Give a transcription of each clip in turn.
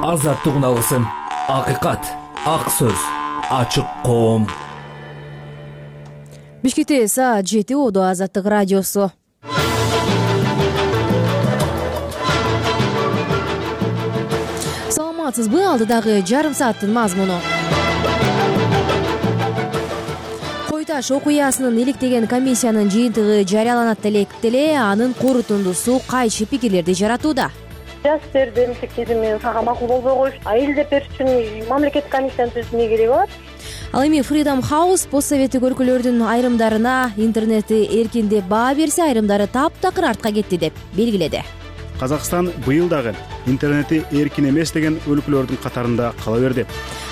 Азаттык үналысын, акыйкат, ак сөз, ачык коом. Бишкекте саат 7 Оодо Азаттык радиосу. Саламатсызбы? Алдыдагы жарым сааттын мазмуну. Кой Таш окуясынын иликтеген комиссиянын жыйынтыгы жарыяланат деле, анын корутундусу кайчы пикирлерди жаратууда. Жаштерди мектепти мен сага макул болбой коюш, элдеп бериш үчүн мамлекеттик комиссияны түзүүнү кереги бар. Ал эми Freedom House постсоветтик өлкөлөрдүн айрымдарына интернетти эркиндеп баа берсе, айрымдары таптакыр артка кетти деп белгиледи. Казакстан быйыл дагы интернети эркин эмес деген өлкөлөрдүн катарында кала берди.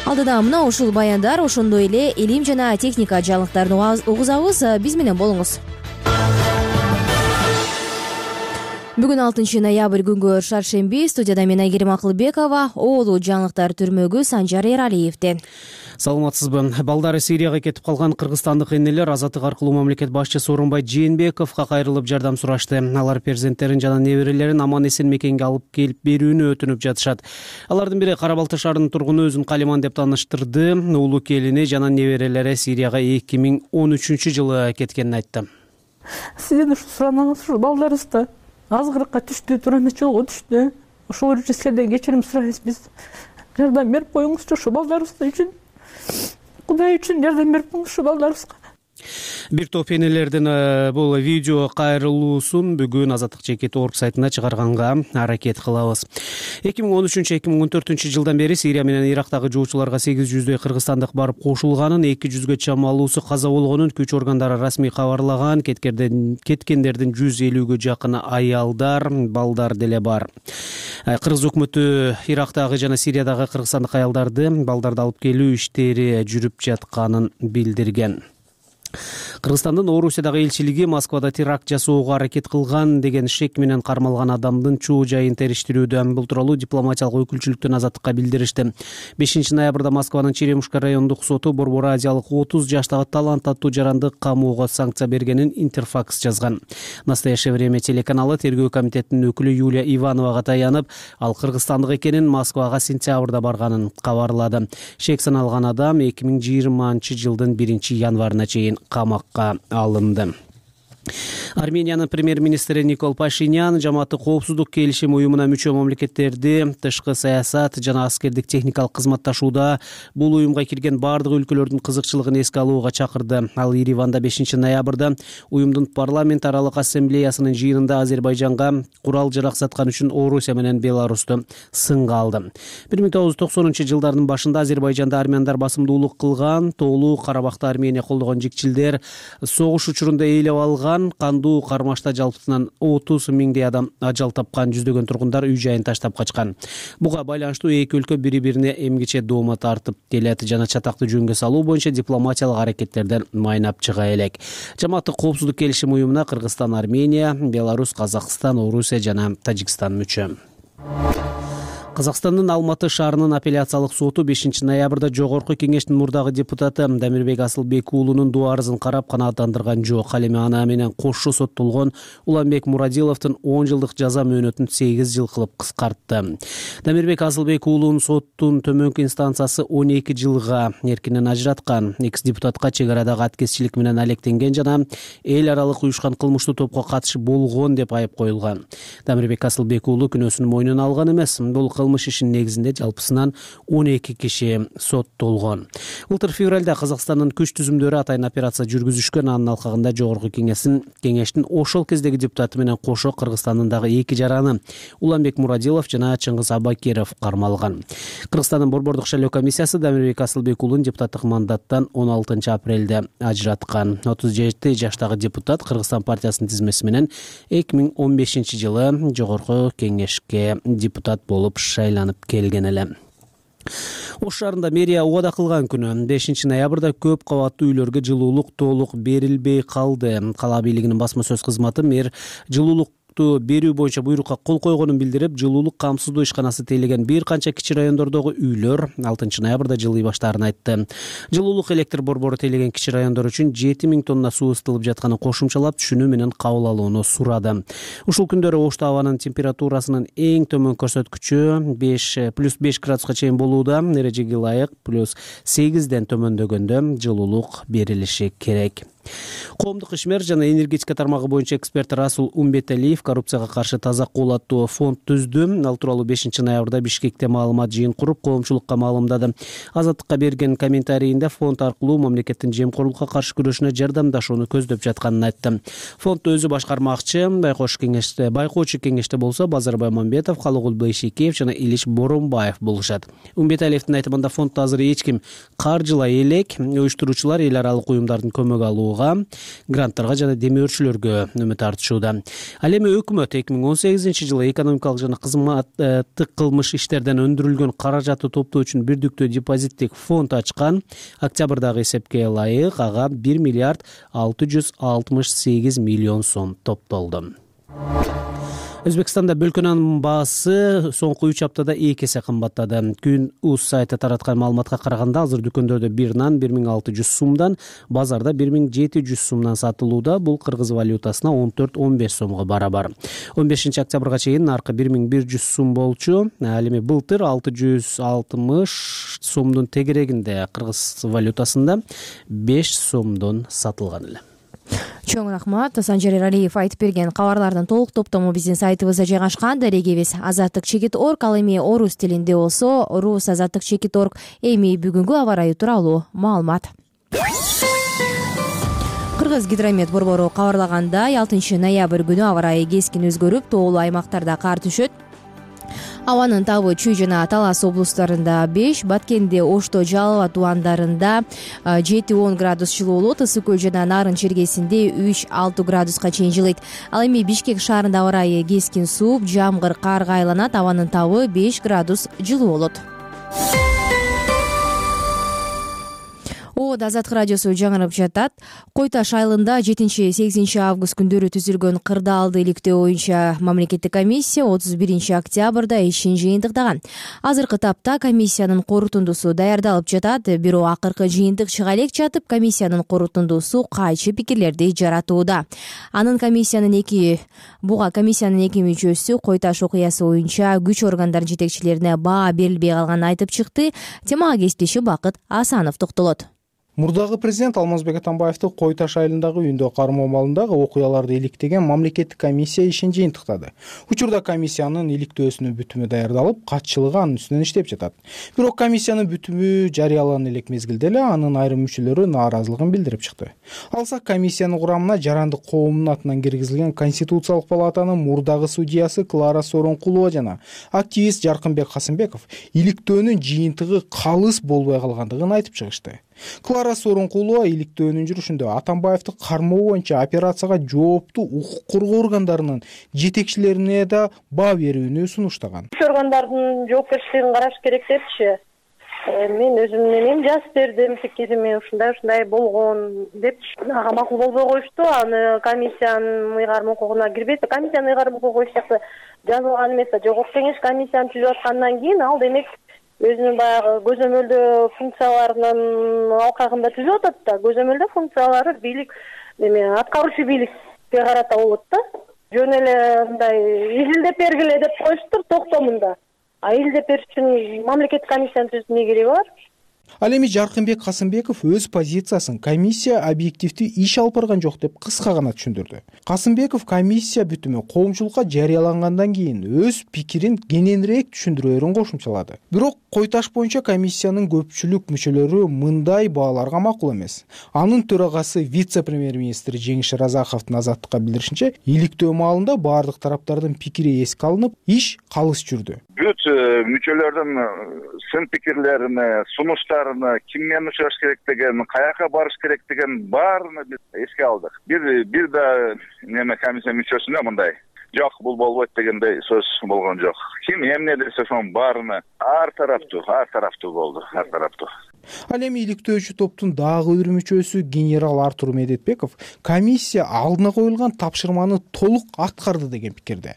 Алдыда мына ушул баяндар, ошондой эле илим жана техника жаңылыктарын угузабыз. Биз менен болуңуз. Бүгүн 6 ноябрь күнгө шаршемби. Студияда мен Айгерим Акылбекова, оолу жаңылыктар түрмөгү Санжар Эралиевден. Саламатсызбы. Балдары Сирияга кетип калган кыргызстандык энелер Азаттык аркылуу мамлекет башчысы Сооронбай Жээнбековго кайрылып жардам сурашты. Алар перзенттерин жана неберелерин аман-эсен мекенге алып келип берүүнү өтүнүп жатышат. Алардын бири Кара Балта шаарынын тургуну өзүн Калиман деп тааныштырды. Уулу келини жана неберелери Сирияга 2013-жылы кеткенин айтты. Сизден ушу сураныңыз, ушу балдарыбызда азгырыкка түштү, турана жолго түштү. Ошол үчүн сиздерден кечирим сурайбыз. Биз жардам берип коюңузчу ушу балдарыбыз үчүн. Кудай үчүн жардам берип коюңуз ушу балдарыбызга. Бир топ энелердин бул видео кайрылуусун бүгүн Азаттык.org сайтына чыгарганга аракет кылабыз. 2013-2014 жылдан бери Сирия менен Ирактагы жоочуларга 800дөй кыргызстандык барып кошулганын, 200гө чамалуусу каза болгонун күч органдары расмий кабарлаган. Кеткендердин 150гө жакыны аялдар, балдар деле бар. Кыргыз өкмөтү Ирактагы жана Сириядагы кыргызстандык аялдарды, балдарды алып келүү иштери жүрүп жатканын билдирген. Кыргызстандын Орусиядагы элчилиги Москвада теракт жасоого аракет кылган деген шек менен кармалган адамдын чоо жайын териштирүүдө. Бул тууралуу дипломатиялык өкүлчүлүктөн Азаттыкка билдиришти. 5 ноябрда Москванын Черемушка райондук соту Борбор Азиялык 30 жаштагы талант аттуу жаранды камоого санкция бергенин Интерфакс жазган. Настоящее время телеканалы тергөө комитетинин өкүлү Юлия Ивановага таянып, ал кыргызстандык экенин, Москвага сентябрда барганын кабарлады. Шек саналган адам 2020-жылдын 1-январына чейин камакка алынды. Армениянын премьер-министри Никол Пашинян жамааттык коопсуздук келишим уюмуна мүчө мамлекеттерди тышкы саясат жана аскердик техникалык кызматташууда бул уюмга кирген бардык өлкөлөрдүн кызыкчылыгын эске алууга чакырды. Ал Ереванда 5 ноябрда уюмдун парламент аралык ассамблеясынын жыйынында Азербайжанга курал-жарак саткан үчүн Орусия менен Беларусту сынга алды. 1990-жылдардын башында Азербайжанда армяндар басымдуулук кылган, тоолуу Карабакта Армения колдогон жикчилдер согуш учурунда ээлеп алган. Кандуу кармашта жалпысынан 30 миңдей адам ажал тапкан, жүздөгөн тургундар үй жайын таштап качкан. Буга байланыштуу эки өлкө бири-бирине эмгиче доoma тартып келет жана чатакты жөнгө салуу боюнча дипломатиялык аракеттерден майнап чыга элек. Жамааттык коопсуздук келишим уюмуна Кыргызстан, Армения, Беларусь, Казакстан, Орусия жана Тажикстан мүчө. Казакстандын Алматы шаарынын апелляциялык соту 5 ноябрда Жогорку кеңештин мурдагы депутаты Дамирбек Асылбек уулунун доо арызын карап канааттандырган жок. Ал эми аны менен кошо соттолгон Уланбек Мурадиловдун 10 жылдык жаза мөөнөтүн 8 жыл кылып кыскартты. Дамирбек Асылбек уулунун соттун төмөнкү инстанциясы 12 жылга эркинен ажыраткан. Экс-депутатка чек арадагы аткезчилик менен алектенген жана эл аралык уюшкан кылмыштуу топко катышы болгон деп айып коюлган. Дамирбек Асылбек уулу күнөөсүн мойнуна алган эмес. Бул кылмыш ишинин негизинде жалпысынан 12 киши соттолгон. Былтыр февралда Казакстандын күч түзүмдөрү атайын операция жүргүзүшкөн. Анын алкагында Жогорку кеңештин ошол кездеги депутаты менен кошо Кыргызстандын дагы 2 жараны Уланбек Мурадилов жана Чыңгыз Абакиров кармалган. Кыргызстандын борбордук шайлоо комиссиясы Дамирбек Асылбек уулун депутаттык мандаттан 16 апрелде ажыраткан. 37 жаштагы депутат Кыргызстан партиясынын тизмеси менен 2015-жылы Жогорку кеңешке депутат болуп шайланып келген эле. Ош шаарында мэрия убада кылган күнү 5 ноябрда көп кабаттуу үйлөргө жылуулук толук берилбей калды. Кала бийлигинин басма сөз кызматы мэр жылуулук жылуулукту берүү боюнча буйрукка кол койгонун билдирип, жылуулук камсыздоо ишканасы тейлеген бир канча кичи райондордогу үйлөр 6 ноябрда жылый баштаарын айтты. Жылуулук электр борбору тейлеген кичи райондор үчүн 7000 тонна суу ысытылып жатканын кошумчалап, түшүнүү менен кабыл алууну сурады. Ушул күндөрү Ошто абанын температурасынын эң төмөн көрсөткүчү +5 градуска чейин болууда. Эрежеге ылайык +8ден төмөндөгөндө жылуулук берилиши керек. Коомдук ишмер жана энергетика тармагы боюнча эксперт Расул Умбеталиев коррупцияга каршы таза кол аттуу фонд түздү. Ал тууралуу 5 ноябрда Бишкекте маалымат жыйын куруп, коомчулукка маалымдады. Азаттыкка берген комментарийинде фонд аркылуу мамлекеттин жемкорлукка каршы күрөшүнө жардамдашууну көздөп жатканын айтты. Фонд өзү башкармакчы. Байкоочу кеңеште болсо Базарбай Мамбетов, Калыгул Байшекеев жана Илиш Боронбаев болушат. Умбеталиевдин айтымында фонддо азыр эч ким каржылай элек. Уюштуруучулар эл аралык уюмдардын көмөгү алууга, гранттарга жана демөөрчүлөргө үмүт артышууда. Ал эми өкмөт 2018-жылы экономикалык жана кызматтык кылмыш иштерден өндүрүлгөн каражатты топтоо үчүн бирдиктүү депозиттик фонд ачкан. Октябрдагы эсепке ылайык ага 1 миллиард 668 миллион сом топтолду. Өзбекстанда бөлкө нанын баасы соңку 3 аптада 2 эсе кымбаттады. Күн.uz сайты тараткан маалыматка караганда, азыр дүкөндөрдө бир нан 1600 сумдан, базарда 1700 сумдан сатылууда. Бул кыргыз валютасына 14-15 сомго барабар. 15 октябрга чейин наркы 1100 сум болчу. Ал эми былтыр 660 сомдун тегерегинде кыргыз валютасында 5 сомдон сатылган эле. Чоң рахмат. Санжар Эралиев айтып берген кабарлардын толук топтому биздин сайтыбызда жайгашкан. Дарегибиз azattik.org. Ал эми орус тилинде болсо rus.azattik.org. Эми бүгүнкү аба ырайы тууралуу маалымат. Кыргыз гидромет борбору кабарлагандай, 6 ноябрь күнү аба ырайы кескин өзгөрүп, тоолуу аймактарда кар түшөт. Абанын табы Чүй жана Талас облустарында 5, Баткенде, Ошто, Жалал тубандарында 7-10 градус жылуулук, Ысык көл жана Нарын чергесинде 3-6 градуска чейин жылыйт. Ал эми Бишкек шаарында аба ырайы кескин сууп, жамгыр, карга айланат. Абанын табы 5 градус жылуу болот. Азаттык радиосу жаңырып жатат. Кой Таш айылында 7-8 август күндөрү түзүлгөн кырдаалды иликтөө боюнча мамлекеттик комиссия 31 октябрда ишин жыйынтыктаган. Азыркы тапта комиссиянын корутундусу даярдалып жатат. Бирок акыркы жыйынтык чыга элек жатып, комиссиянын корутундусу кайчы пикирлерди жаратууда. Буга комиссиянын эки мүчөсү Кой Таш окуясы боюнча күч органдар жетекчилерине баа берилбей калганын айтып чыкты. Темага кесиптеши Бакыт Асанов токтолот. Мурдагы президент Алмазбек Атамбаевди Кой Таш айылындагы үйүндө кармоо маалындагы окуяларды иликтеген мамлекеттик комиссия ишин жыйынтыктады. Учурда комиссиянын иликтөөсүнүн бүтүмү даярдалып, катчылыгы анын үстүнөн иштеп жатат. Бирок комиссиянын бүтүмү жарыяланган элек мезгилде эле анын айрым мүчөлөрү нааразылыгын билдирип чыкты. Алсак, комиссиянын курамына жарандык коомдун атынан киргизилген Конституциялык палатанын мурдагы судьясы Клара Сооронкулова жана активист Жаркынбек Касымбеков иликтөөнүн жыйынтыгы калыс болбой калгандыгын айтып чыгышты. Клара Сооронкулова иликтөөнүн жүрүшүндө Атамбаевди кармоо боюнча операцияга жооптуу укук коргоо органдарынын жетекчилерине да баа берүүнү сунуштаган. Органдардын жоопкерчилигин караш керек депчи. Мен өзүмдүн эмем жазып бердим, пикириме ушундай болгон деп ага макул болбой коюшту. Аны комиссиянын ыйгарым укугуна кирбейт. Комиссиянын ыйгарым укугу эч жакта жазылган эмес. Жогорку кеңеш комиссияны түзүп аткандан кийин ал демек өзүнүн баягы көзөмөлдөө функцияларынын алкагында түзүп атат да. Көзөмөлдөө функциялары бийлик аткаруучу бийликке карата болот да. Жөн эле мындай изилдеп бергиле деп коюштур токтомунда. Изилдеп бериш үчүн мамлекеттик комиссияны түзүүнүн эмне кереги бар? Ал эми Жаркынбек Касымбеков өз позициясын комиссия объективдүү иш алып барган жок деп кыска гана түшүндүрдү. Касымбеков комиссия бүтүмү коомчулукка жарыялангандан кийин өз пикирин кененирээк түшүндүрөөрүн кошумчалады. Бирок Кой Таш боюнча комиссиянын көпчүлүк мүчөлөрү мындай бааларга макул эмес. Анын төрагасы вице-премьер-министр Жеңиш Разаховдун Азаттыкка билдиришинче, иликтөө маалында баардык тараптардын пикири эске алынып, иш калыс жүрдү. Бүт мүчөлөрдүн сын пикирлерине, сунуштарына, ким менен учураш керек деген, каяка барыш керек деген баарына биз эске алдык. Бир да комиссия мүчөсүнө мындай жок, бул болбойт дегендей сөз болгон жок. Ким эмне десе ошонун баарына ар тараптуу болду, ар тараптуу. Ал эми иликтөөчү топтун дагы бир мүчөсү генерал Артур Медетбеков комиссия алдына коюлган тапшырманы толук аткарды деген пикирде.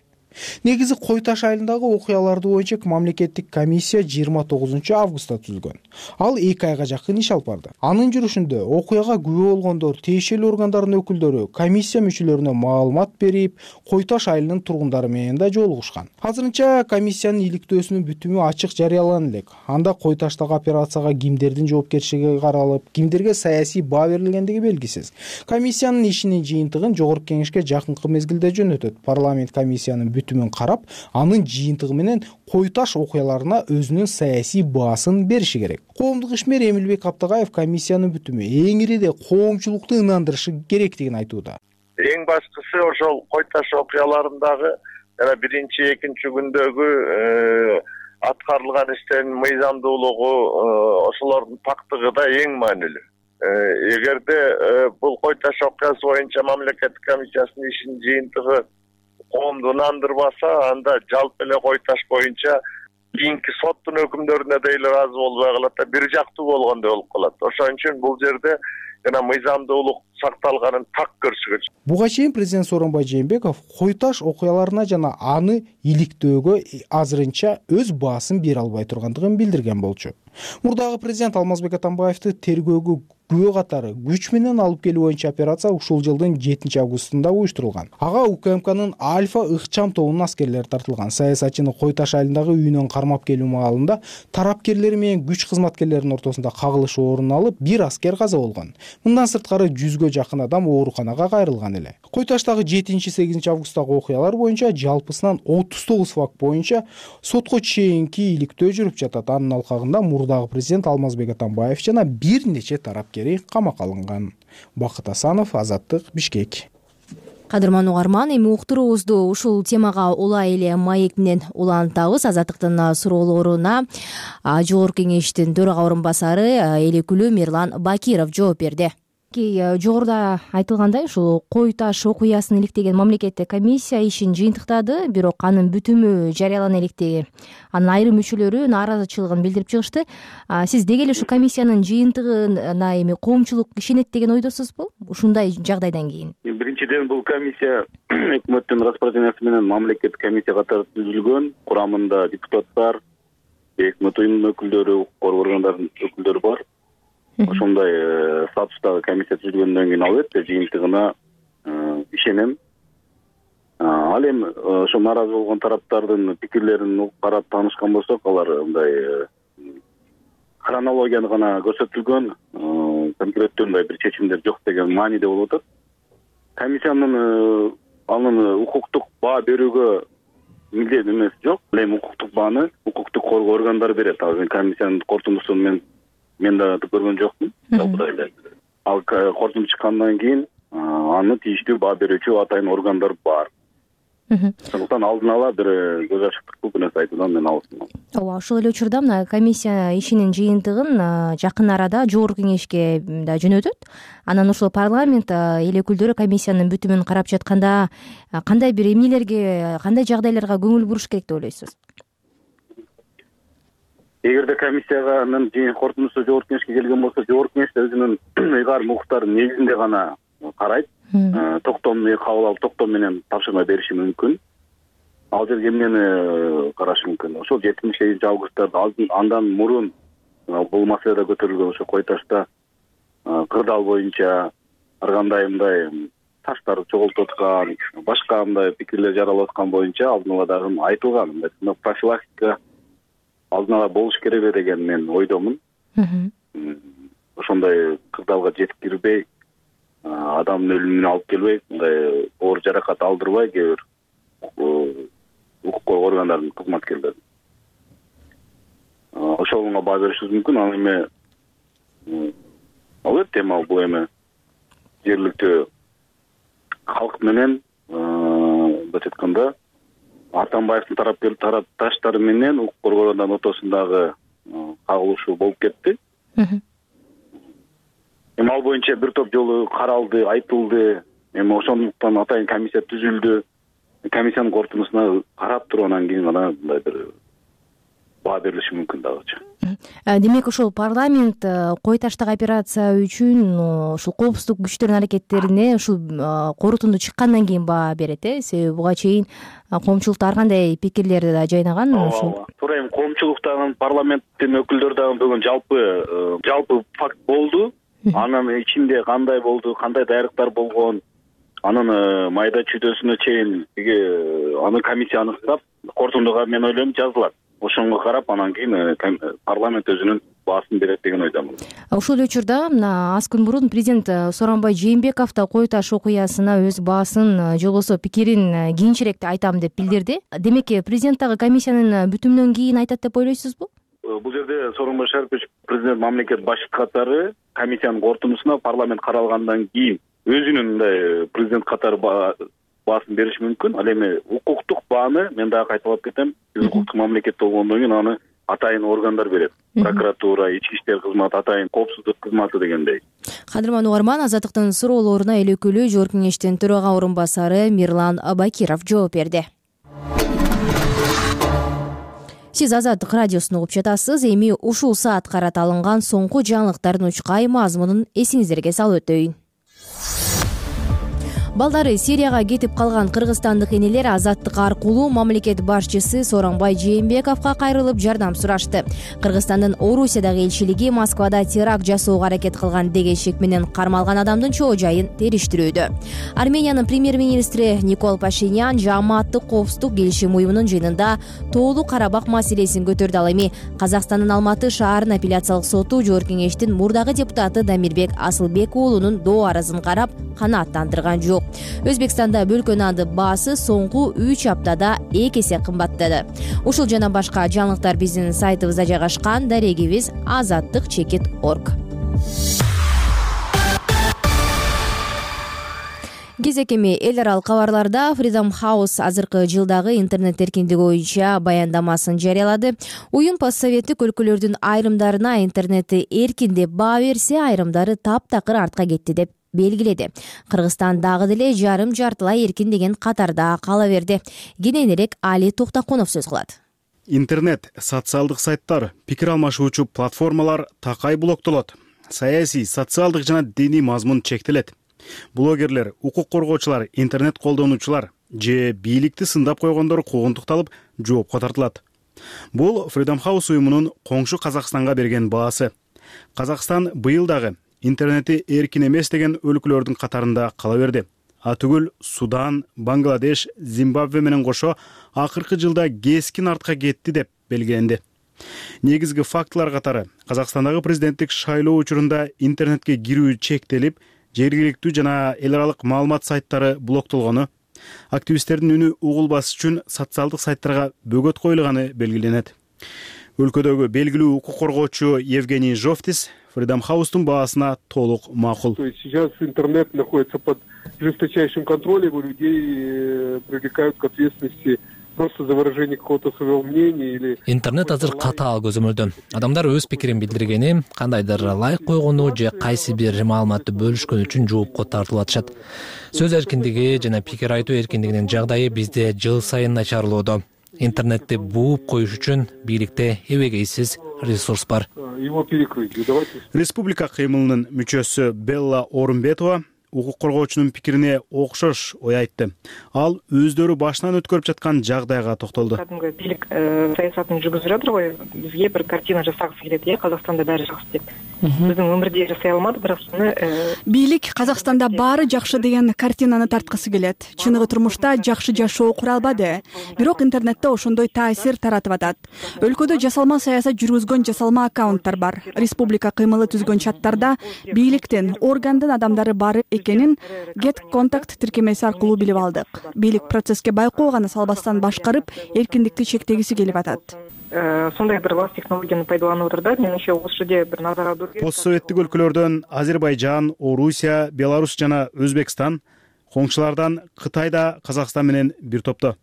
Негизи Кой Таш айылындагы окуяларды боюнча мамлекеттик комиссия 29 августта түзүлгөн. Ал 2 айга жакын иш алып барды. Анын жүрүшүндө окуяга күбө болгондор, тиешелүү органдардын өкүлдөрү комиссия мүчөлөрүнө маалымат берип, Кой Таш айылынын тургундары менен да жолугушкан. Азырынча комиссиянын иликтөөсүнүн бүтүмү ачык жарыялана элек. Анда Кой Таштагы операцияга кимдердин жоопкерчилиги каралып, кимдерге саясий баа берилгендиги белгисиз. Комиссиянын ишинин жыйынтыгын Жогорку Кеңешке жакынкы мезгилде жөнөтөт. Парламент комиссиянын бүтүмүн карап, анын жыйынтыгы менен Кой Таш окуяларына өзүнүн саясий баасын бериши керек. Коомдук ишмер Эмилбек Аптагаев комиссиянын бүтүмү эң ириде коомчулукту ынандырышы керектигин айтууда. Эң башкысы ошол Кой Таш окуяларындагы жана биринчи, экинчи күндөгү аткарылган иштин мыйзамдуулугу, ошолордун пактыгы да эң маанилүү. Эгерде бул Кой Таш окуясы боюнча мамлекеттик комиссиясынын ишинин жыйынтыгы коомду ынандырбаса, анда жалпы эле Кой Таш боюнча кийинки соттун өкүмдөрүнө да эле ыраазы болбой калат да, бир жактуу болгондой болуп калат. Ошон үчүн бул жерде жана мыйзамдуулук сакталганын так көрсөтүш. Буга чейин президент Сооронбай Жээнбеков Кой Таш окуяларына жана аны иликтөөгө азырынча өз баасын бере албай тургандыгын билдирген болчу. Мурдагы президент Алмазбек Атамбаевди тергөөгө күбө катары күч менен алып келүү боюнча операция ушул жылдын 7 августунда уюштурулган. Ага УКМКнын Альфа ыкчам тобунун аскерлери тартылган. Саясатчыны Кой Таш айылындагы үйүнөн кармап келүү маалында тарапкерлери менен күч кызматкерлеринин ортосунда кагылышуу орун алып, бир аскер каза болгон. Мындан сырткары 100гө жакын адам ооруканага кайрылган эле. Кой Таштагы 7-8 августтагы окуялар боюнча жалпысынан 39 факт боюнча сотко чейинки иликтөө жүрүп жатат. Анын алкагында мурдагы президент Алмазбек Атамбаев жана бир нече тарапкери камакка алынган. Бакыт Асанов, Азаттык, Бишкек. Кадырман угарман, эми уктуруубузду ушул темага улай эле маек менен улантабыз. Азаттыктын суроолоруна Жогорку Кеңештин төрага орун басары эл өкүлү Мирлан Бакиров жооп берди. Жогоруда айтылгандай, ушул Кой Таш окуясын иликтеген мамлекеттик комиссия ишин жыйынтыктады, бирок анын бүтүмү жарыялана электи. Анын айрым мүчөлөрү нааразычылыгын билдирип чыгышты. Сиз деги эле ушу комиссиянын жыйынтыгына эми коомчулук ишенет деген ойдосузбу? Ушундай жагдайдан кийин. Биринчиден бул комиссия өкмөттүн распоряжениясы менен мамлекеттик комиссия катары түзүлгөн. Курамында депутаттар, өкмөт уюмунун өкүлдөрү, укук коргоо органдарынын өкүлдөрү бар. Ошондой статустагы комиссия түзүлгөндөн кийин албетте жыйынтыгына ишенем. Ал эми ошо нааразы болгон тараптардын пикирлерин карап таанышкан болсок, алар мындай хронологияны гана көрсөтүлгөн, конкреттүү мындай бир чечимдер жок деген мааниде болуп атат. Комиссиянын анын укуктук баа берүүгө милдет эмес жок. Ал эми укуктук бааны укуктук коргоо органдары берет. Ал комиссиянын корутундусун мен да көргөн жокмун. Ал корутунду чыккандан кийин аны тийиштүү баа берүүчү атайын органдар бар. Ошондуктан алдын ала бир көз ачыктык бул нерсе айтуудан мен алысмын. Ооба, ошол эле учурда мына комиссия ишинин жыйынтыгын жакын арада Жогорку Кеңешке да жөнөтөт. Анан ошол парламент эл өкүлдөрү комиссиянын бүтүмүн карап жатканда кандай бир эмнелерге, кандай жагдайларга көңүл буруш керек деп ойлойсуз? Эгерде комиссиянын корутундусу Жогорку Кеңешке келген болсо, Жогорку Кеңеш өзүнүн ыйгарым укуктарынын негизинде гана карайт. Токтомду кабыл алып, токтом менен тапшырма бериши мүмкүн. Ал жерге эмнени карашы мүмкүн? Ошол 7 августта андан мурун бул маселе да көтөрүлгөн. Ошо Кой Ташта кырдаал боюнча ар кандай мындай таштар чогултуп аткан, башка мындай пикирлер жаралып аткан боюнча алдын ала дагы айтылган. Мындай профилактика алдын ала болуш керек деген мен ойдомун. Ошондой кырдаалга жетип кирбей, адамдын өлүмүнө алып келбей, мындай оор жаракат алдырбай кээ бир укук коргоо органдарынын кызматкерлери. Ошолго баа беришибиз мүмкүн. Ал эми албетте бул эми жергиликтүү калк менен мындай айтканда Атамбаевдин тарапташтары менен укук коргоо органдарынын ортосундагы кагылышуу болуп кетти. Эми ал боюнча бир топ жолу каралды, айтылды. Эми ошондуктан атайын комиссия түзүлдү. Комиссиянын корутундусуна карап туруп, анан кийин гана мындай бир баа берилиши мүмкүн дагычы. Демек ошол парламент кой таштак операция үчүн ушул коопсуздук күчтөрүнүн аракеттерине ушул корутунду чыккандан кийин баа берет, себеби буга чейин коомчулукта ар кандай пикирлерди да жайнаган. Ошол туура эми коомчулуктагы парламенттин өкүлдөрү дагы бүгүн жалпы факт болду. Анын ичинде кандай болду, кандай даярдыктар болгон, анын майда чүйдөсүнө чейин аны комиссия аныктап, корутундуга мен ойлойм жазылат. Ошонго карап анан кийин парламент өзүнүн баасын берет деген ойдомун. Ошол эле учурда мына аз күн мурун президент Сооронбай Жээнбеков да Кой таш окуясына өз баасын же болбосо пикирин кийинчерээк айтам деп билдирди. Демек президент дагы комиссиянын бүтүмүнөн кийин айтат деп ойлойсузбу? Бул жерде Сооронбай Шарипович президент мамлекет башчысы катары комиссиянын корутундусуна парламент каралгандан кийин өзүнүн мындай президент катары баасын бериши мүмкүн. Ал эми укуктук бааны мен дагы кайталап кетем. Биз укуктук мамлекет болгондон кийин аны атайын органдар берет. Прокуратура, ички иштер кызматы, атайын коопсуздук кызматы дегендей. Кадырман угарман, Азаттыктын суроолоруна эл өкүлү Жогорку Кеңештин төрага орун басары Мирлан Бакиров жооп берди. Сиз Азаттык радиосун угуп жатасыз. Эми ушул саат карата алынган соңку жаңылыктардын учкай мазмунун эсиңиздерге салып өтөйүн. Балдары Сирияга кетип калган кыргызстандык энелер Азаттык аркылуу мамлекет башчысы Сооронбай Жээнбековго кайрылып жардам сурашты. Кыргызстандын Орусиядагы элчилиги Москвада теракт жасоого аракет кылган деген шек менен кармалган адамдын чоо жайын териштирүүдө. Армениянын премьер-министри Никол Пашинян Жааматтык коопсуздук келишим уюмунун жыйынында Тоолуу Карабак маселесин көтөрдү. Ал эми Казакстандын Алматы шаарынын апелляциялык соту Жогорку Кеңештин мурдагы депутаты Дамирбек Асылбек уулунун доо арызын карап канааттандырган жок. Өзбекстанда бөлкө нанды баасы соңку 3 аптада 2 эсе кымбаттады. Ушул жана башка жаңылыктар биздин сайтыбызда жайгашкан. Дарегибиз azattik.org. Кезекеми эл аралык кабарларда Freedom House азыркы жылдагы интернет эркиндиги боюнча баяндамасын жарыялады. Уюм постсоветтик өлкөлөрдүн айрымдарына интернетти эркин деп баа берсе, айрымдары таптакыр артка кетти деп белгиледи. Кыргызстан дагы деле жарым-жартылай эркин деген катарда кала берди. Кененирээк Али Токтокунов сөз кылат. Интернет, социалдык сайттар, пикир алмашуучу платформалар такай блоктолот. Саясий, социалдык жана диний мазмун чектелет. Блогерлер, укук коргоочулар, интернет колдонуучулар же бийликти сындап койгондор куугунтукталып жоопко тартылат. Бул Freedom House уюмунун коңшу Казакстанга берген баасы. Казакстан быйыл дагы интернети эркин эмес деген өлкөлөрдүн катарында кала берди. Атүгүл Судан, Бангладеш, Зимбабве менен кошо акыркы жылда кескин артка кетти деп белгиленди. Негизги фактылар катары Казакстандагы президенттик шайлоо учурунда интернетке кирүү чектелип, жергиликтүү жана эл аралык маалымат сайттары блоктолгону, активисттердин үнү угулбас үчүн социалдык сайттарга бөгөт коюлганы белгиленет. Өлкөдөгү белгилүү укук коргоочу Евгений Жовтис Freedom House'тун баасына толук макул. То есть сейчас интернет находится под жесточайшим контролем, у людей привлекают к ответственности просто за выражение какого-то своего мнения или... Интернет азыр катаал көзөмөлдө. Адамдар өз пикирин билдиргени, кандайдыр лайк койгону же кайсы бир маалыматты бөлүшкөн үчүн жоопко тартылып атышат. Сөз эркиндиги жана пикир айтуу эркиндигинин жагдайы бизде жыл сайын начарлоодо. Интернетти бууп коюш үчүн бийликте эбегейсиз ресурс бар. Его перекрыть. Республика кыймылынын мүчөсү Белла Орунбетова укук коргоочунун пикирине окшош ой айтты. Ал өздөрү башынан өткөрүп жаткан жагдайга токтолду. Кадимги бийлик саясатын жүргүзүп жатыр го. Бизге бир картина жасагысы келет, Казакстанда баары жакшы деп. Биздин өмүрдө жасай алмады, бирок бийлик Казакстанда баары жакшы деген картинаны тарткысы келет. Чыныгы турмушта жакшы жашоо кура албады, бирок интернетте ошондой таасир таратып атат. Өлкөдө жасалма саясат жүргүзгөн жасалма аккаунттар бар. Республика кыймылы түзгөн чаттарда бийликтин, органдын адамдары бар экенин Get Contact тиркемеси аркылуу билип алдык. Бийлик процесске байкоо гана салбастан башкарып, эркиндикти чектегиси келип атат. Сондай бир лас технологияны пайдаланып отурда, менимче ошол жерде бир назар аударуу керек. Постсоветтик өлкөлөрдөн Азербайжан, Орусия, Беларусь жана Өзбекстан, коңшулардан Кытай да Казакстан менен бир топто.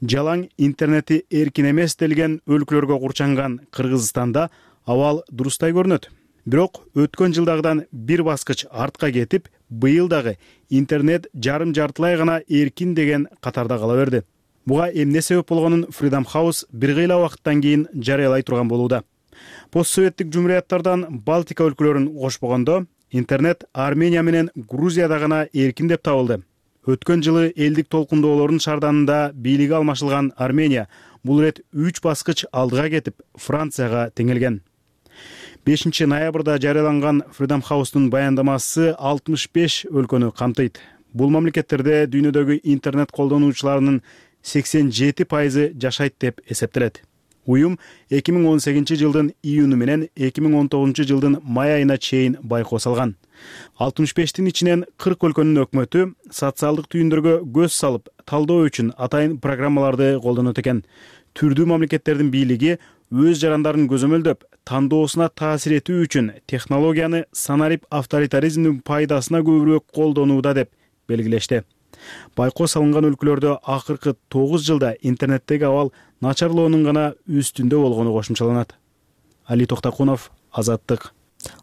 Жалаң интернети эркин эмес делген өлкөлөргө курчанган Кыргызстанда абал дурустай көрүнөт. Бирок өткөн жылдагыдан бир баскыч артка кетип, быйыл дагы интернет жарым-жартылай гана эркин деген катарда кала берди. Буга эмне себеп болгонун Freedom House бир кыйла убакыттан кийин жарыялай турган болууда. Постсоветтик жумурияттардан Балтика өлкөлөрүн кошпогондо интернет Армения менен Грузияда гана эркин деп табылды. Өткөн жылы элдик толкундоолордун шаарданында бийлиги алмашылган Армения бул ирет 3 баскыч алдыга кетип, Францияга теңелген. 5 ноябрда жарыяланган Freedom House'тун баяндамасы 65 өлкөнү камтыйт. Бул мамлекеттерде дүйнөдөгү интернет колдонуучуларынын 87% жашайт деп эсептелет. Уюм 2018 жылдын июнү менен 2019 жылдын май айына чейин байкоо салган. 65тин ичинен 40 өлкөнүн өкмөтү социалдык түйүндөргө көз салып, талдоо үчүн атайын программаларды колдонот экен. Түрдүү мамлекеттердин бийлиги өз жарандарын көзөмөлдөп, тандоосуна таасир этүү үчүн технологияны санарип авторитаризмдин пайдасына көбүрөөк колдонууда деп белгилешти. Байкоо салынган өлкөлөрдө акыркы 9 жылда интернеттеги абал начарлоонун гана үстүндө болгону кошумчаланат. Али Токтакунов, Азаттык.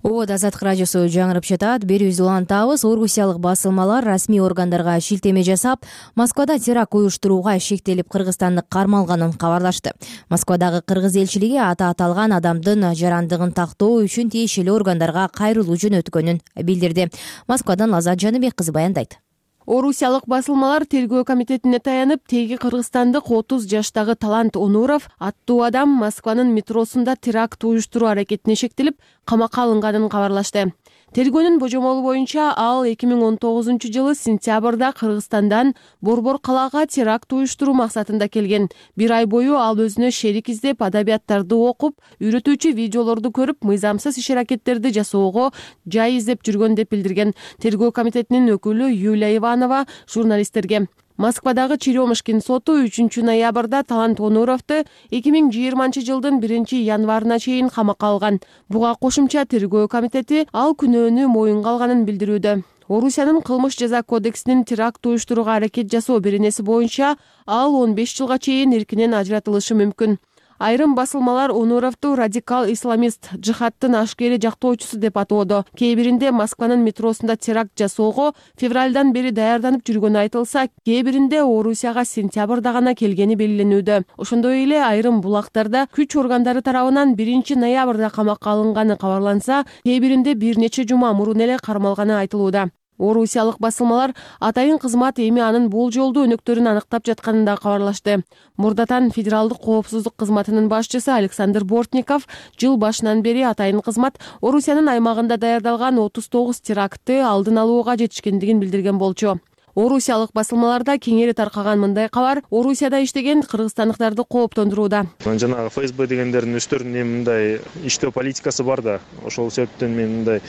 Обод Азаттык радиосу жаңырып жатат. Берүүбүздү улантабыз. Орусиялык басылмалар расмий органдарга шилтеме жасап, Москвада теракт уюштурууга шектелип Кыргызстанды кармалганын кабарлашты. Москвадагы кыргыз элчилиги аты аталган адамдын жарандыгын тактоо үчүн тиешелүү органдарга кайрылуу жөнөткөнүн билдирди. Москвадан Лазат Жаныбек кызы баяндайт. Орусиялык басылмалар тергөө комитетине таянып, теги кыргызстандык 30 жаштагы Талант Онуров аттуу адам Москванын метросунда теракт уюштуруу аракетине шектелип, камакка алынганын кабарлашты. Тергөөнүн божомолу боюнча ал 2019 жылы сентябрда Кыргызстандан Борбор калаага теракт уюштуруу максатында келген. Бир ай бою ал өзүнө шерик издеп, адабияттарды окуп, үйрөтүүчү видеолорду көрүп, мыйзамсыз иш-аракеттерди жасоого жай издеп жүргөн деп билдирген тергөө комитетинин өкүлү Юлия Иванова журналисттерге. Москвадагы Черемушкин соту 3 ноябрда Талант Онуровду 2020 жылдын 1 январына чейин камакка алган. Буга кошумча тергөө комитети ал күнөөнү моюнга алганын билдирүүдө. Орусиянын кылмыш жаза кодексинин теракт уюштурууга аракет жасоо беренеси боюнча ал 15 жылга чейин эркинен ажыратылышы мүмкүн. Айрым басылмалар Онуровду радикал исламист, жихадтын ашкери жактоочусу деп атоодо. Кээ биринде Москванын метросунда теракт жасоого февралдан бери даярданып жүргөнү айтылса, кээ биринде Орусияга сентябрда гана келгени белгиленүүдө. Ошондой эле айрым булактарда күч органдары тарабынан 1 ноябрда камакка алынганы кабарланса, кээ биринде бир нече жума мурун эле кармалганы айтылууда. Орусиялык басылмалар атайын кызмат эми анын бул жолду өнөктөрүн аныктап жатканын да кабарлашты. Мурдатан федералдык коопсуздук кызматынын башчысы Александр Бортников жыл башынан бери атайын кызмат Орусиянын аймагында даярдалган 39 терактты алдын алууга жетишкендигин билдирген болчу. Орусиялык басылмаларда кеңири таркаган мындай кабар Орусияда иштеген кыргызстандыктарды кооптондурууда. Жанагы ФСБ дегендердин өздөрүнүн мындай иштөө политикасы бар да, ошол себептен мен мындай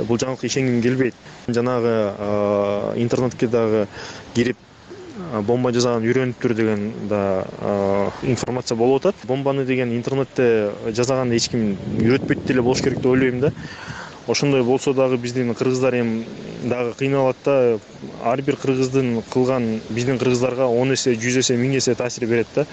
бул жаңылыкка ишенгим келбейт. Жанагы интернетке дагы кирип бомба жасаган үйрөнүптүр деген да информация болуп атат. Бомбаны деген интернетте жасаганды эч ким үйрөтпөйт деле болуш керек деп ойлойм да. Ошондой болсо дагы биздин кыргыздар эми дагы кыйналат да. Ар бир кыргыздын кылган биздин кыргыздарга 10 эсе, 100 эсе, 1000 эсе таасир берет да.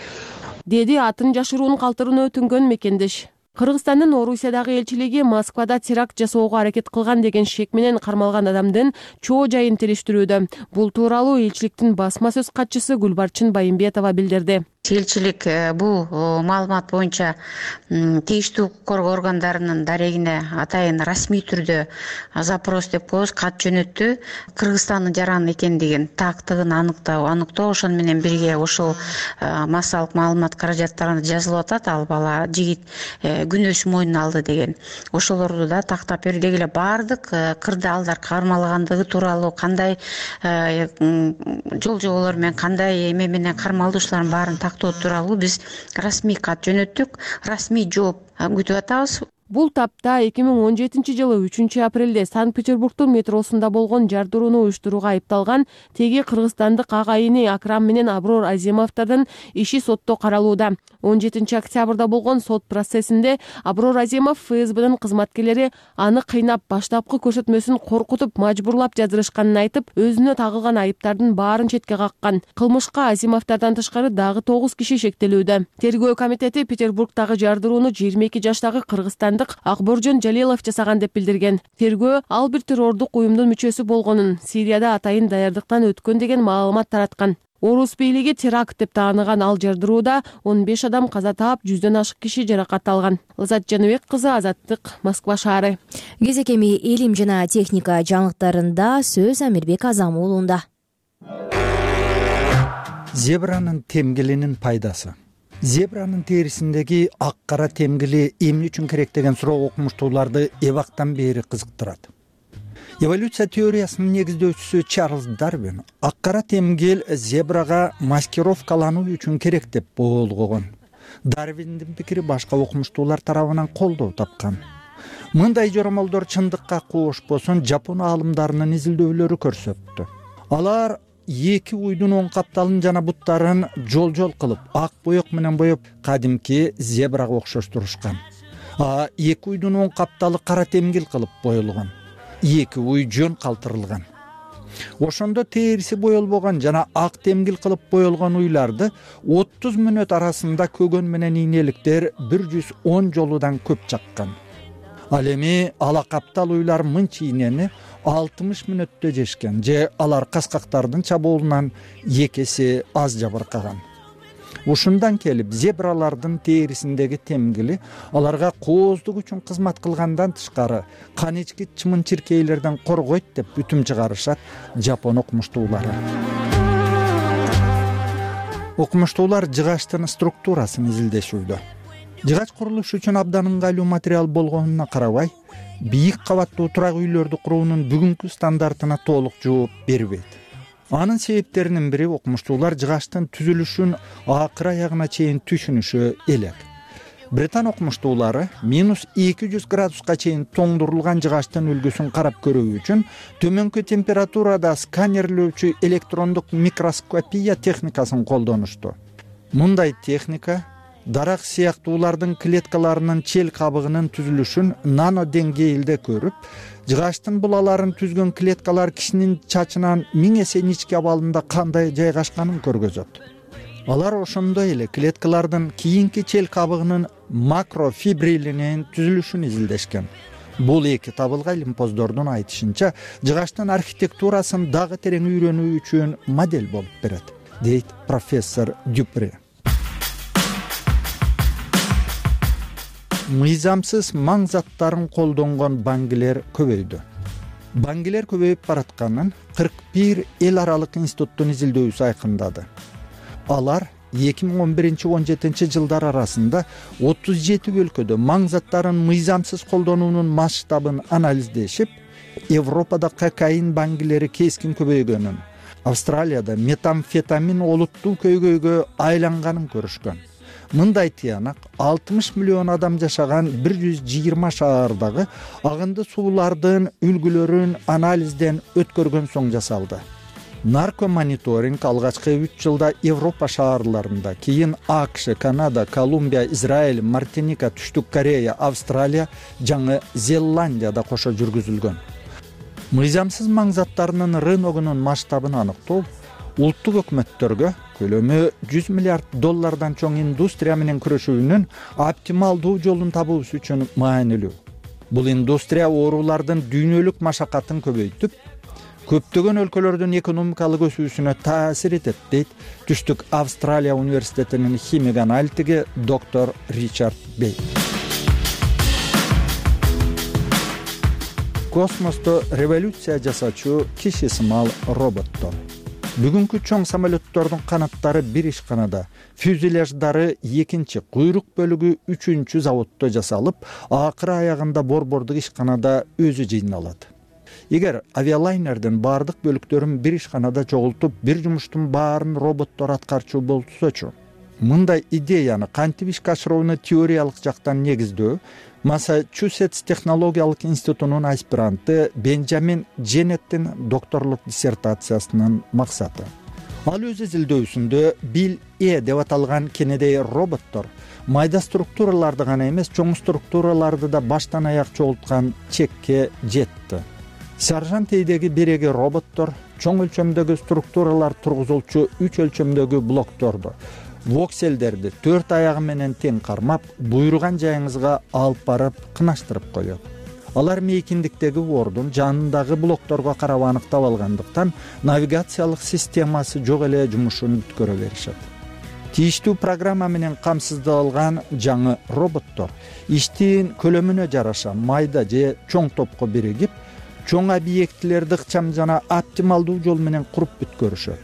Деди атын жашыруун калтырууну өтүнгөн мекендеш. Кыргызстандын Орусиядагы элчилиги Москвада теракт жасоого аракет кылган деген шек менен кармалган адамдын чоо жайын териштирүүдө. Бул тууралуу элчиликтин басма сөз катчысы Гүлбарчын Байымбетова билдирди. Элчилик бул маалымат боюнча тийиштүү укук коргоо органдарынын дарегине атайын расмий түрдө запрос деп коебуз, кат жөнөттү. Кыргызстандын жараны экендигин, тактыгын аныктоо ошону менен бирге ошол массалык маалымат каражаттарында жазылып атат. Ал бала жигит күнөөсүн мойнуна алды деген. Ошолорду да тактап берүү деги эле баардык кырдаалдар кармалгандыгы тууралуу, кандай жол жоболор менен, кандай эме менен кармалдуучулардын баарын тактоо тууралуу биз расмий кат жөнөттүк. Расмий жооп күтүп атабыз. Бул тапта 2017 жылы 3 апрелде Санкт-Петербургдун метросунда болгон жардырууну уюштурууга айыпталган теги кыргызстандык агайыны Акрам менен Аброр Азимовдордун иши сотто каралууда. 17 октябрда болгон сот процессинде Аброр Азимов ФСБдин кызматкерлери аны кыйнап, баштапкы көрсөтмөсүн коркутуп, мажбурлап жаздырышканын айтып, өзүнө тагылган айыптардын баарын четке каккан. Кылмышка Азимовдордон тышкары дагы 9 киши шектелүүдө. Тергөө комитети Петербургдагы жардырууну 22 жаштагы кыргызстандык Акборжон Жалилов жасаган деп билдирген. Тергөө ал бир террордук уюмдун мүчөсү болгонун, Сирияда атайын даярдыктан өткөн деген маалымат тараткан. Орус бийлиги теракт деп тааныган ал жардырууда 15 адам каза таап, 100дөн ашык киши жаракат алган. Лазат Жаныбек кызы, Азаттык, Москва шаары. Кезекеми илим жана техника жаңылыктарында сөз Амирбек Азам уулунда. Зебранын темгилинин пайдасы. Зебранын терисиндеги ак кара темгили эмне үчүн керек деген суроо окумуштууларды эбактан бери кызыктырат. Эволюция теориясынын негиздөөчүсү Чарльз Дарвин ак кара темгил зебрага маскировкалануу үчүн керек деп болгогон. Дарвиндин пикири башка окумуштуулар тарабынан колдоо тапкан. Мындай жоромолдор чындыкка кошпосун Жапон аалымдарынын изилдөөлөрү көрсөттү. Алар эки уйдун оң капталын жана буттарын жол кылып, ак боек менен боеп, кадимки зебрага окшоштурушкан. Эки уйдун оң капталы кара темгил кылып боелгон. Эки уй жөн калтырылган. Ошондо териси боелбогон жана ак темгил кылып боелгон уйларды 30 мүнөт арасында көгөн менен ийнеликтер 110 жолудан көп чаккан. Ал эми ала каптал уйлар мынча ийнени 60 мүнөттө жешкен же алар каскактардын чабуулунан 2 эсе аз жабыркаган. Ушундан келип зебралардын терисиндеги темгили аларга кооздук үчүн кызмат кылгандан тышкары кан ичкич чымын-чиркейлерден коргойт деп бүтүм чыгарышат Жапон окумуштуулары. Окумуштуулар жыгачтын структурасын изилдешүүдө. Жыгач курулуш үчүн абдан ыңгайлуу материал болгонуна карабай, бийик кабаттуу турак үйлөрдү куруунун бүгүнкү стандартына толук жооп бербейт. Анын себептеринин бири окумуштуулар жыгачтын түзүлүшүн акыр аягына чейин түшүнүшү элек. Британ окумуштуулары -200 градуска чейин тоңдурулган жыгачтын үлгүсүн карап көрүү үчүн төмөнкү температурада сканерлөөчү электрондук микроскопия техникасын колдонушту. Мындай техника дарак сыяктуулардын клеткаларынын чел кабыгынын түзүлүшүн нано деңгээлде көрүп, жыгачтын булаларын түзгөн клеткалар кишинин чачынан 1000 эсе ички абалында кандай жайгашканын көргөзөт. Алар ошондой эле клеткалардын кийинки чел кабыгынын макрофибрилинин түзүлүшүн изилдешкен. Бул эки табылгай лимпоздордун айтышынча жыгачтын архитектурасын дагы терең үйрөнүү үчүн модель болуп берет, дейт профессор Дюпре. Мыйзамсыз маң заттарын колдонгон баңгилер көбөйдү. Баңгилер көбөйүп баратканын 41 эл аралык институттун изилдөөсү айкындады. Алар 2011-17 жылдар арасында 37 өлкөдө маң заттарын мыйзамсыз колдонуунун масштабын анализдешип, Европада кокаин баңгилери кескин көбөйгөнүн, Австралияда метамфетамин олуттуу көйгөйгө айланганын көрүшкөн. Мындай тыянак 60 миллион адам жашаган 120 шаардагы агынды суулардын үлгүлөрүн анализден өткөргөн соң жасалды. Наркомониторинг алгачкы 3 жылда Европа шаарларында, кийин АКШ, Канада, Колумбия, Израиль, Мартиника, Түштүк Корея, Австралия, Жаңы Зеландияда кошо жүргүзүлгөн. Мыйзамсыз маң заттарынын рыногунун масштабын аныктоо улуттук өкмөттөргө көлөмү 100 миллиард доллардан чоң индустрия менен күрөшүүнүн оптималдуу жолун табуусу үчүн маанилүү. Бул индустрия оорулардын дүйнөлүк машакатын көбөйтүп, көптөгөн өлкөлөрдүн экономикалык өсүүсүнө таасир этет, дейт Түштүк Австралия университетинин химик аналитиги доктор Ричард Бей. Космосто революция жасачу киши сымал роботтор. Бүгүнкү чоң самолеттордун канаттары бир ишканада, фюзеляждары экинчи, куйрук бөлүгү 3-чү заводдо жасалып, акыры аягында борбордук ишканада өзү жыйналат. Эгер авиалайнердин бардык бөлүктөрүн бир ишканада чогултуп, бир жумуштун баарын роботтор аткарчу болсочу, мындай идеяны кантип ишке ашырууну теориялык жактан негиздөө Массачусетс технологиялык институтунун аспиранты Бенджамин Дженеттин докторлук диссертациясынын максаты. Ал өз изилдөөсүндө Бил-Э деп аталган кенедей роботтор майда структураларды гана эмес, чоң структураларды да баштан аяк чогулткан чекке жетти. Сержант Эйдеги биреги роботтор чоң өлчөмдөгү структуралар тургузулчу 3 өлчөмдөгү блокторду, вокселдерди 4 аягы менен тең кармап, буйруган жайыңызга алып барып кынаштырып коет. алар мейкиндиктеги ордун жанындагы блокторго карап аныктап алгандыктан навигациялык системасы жок эле жумушун бүткөрө беришет. Тийиштүү программа менен камсыздалган жаңы роботтор иштин көлөмүнө жараша майда же чоң топко биригип, чоң объектилерди ыкчам жана оптималдуу жол менен куруп бүткөрүшөт.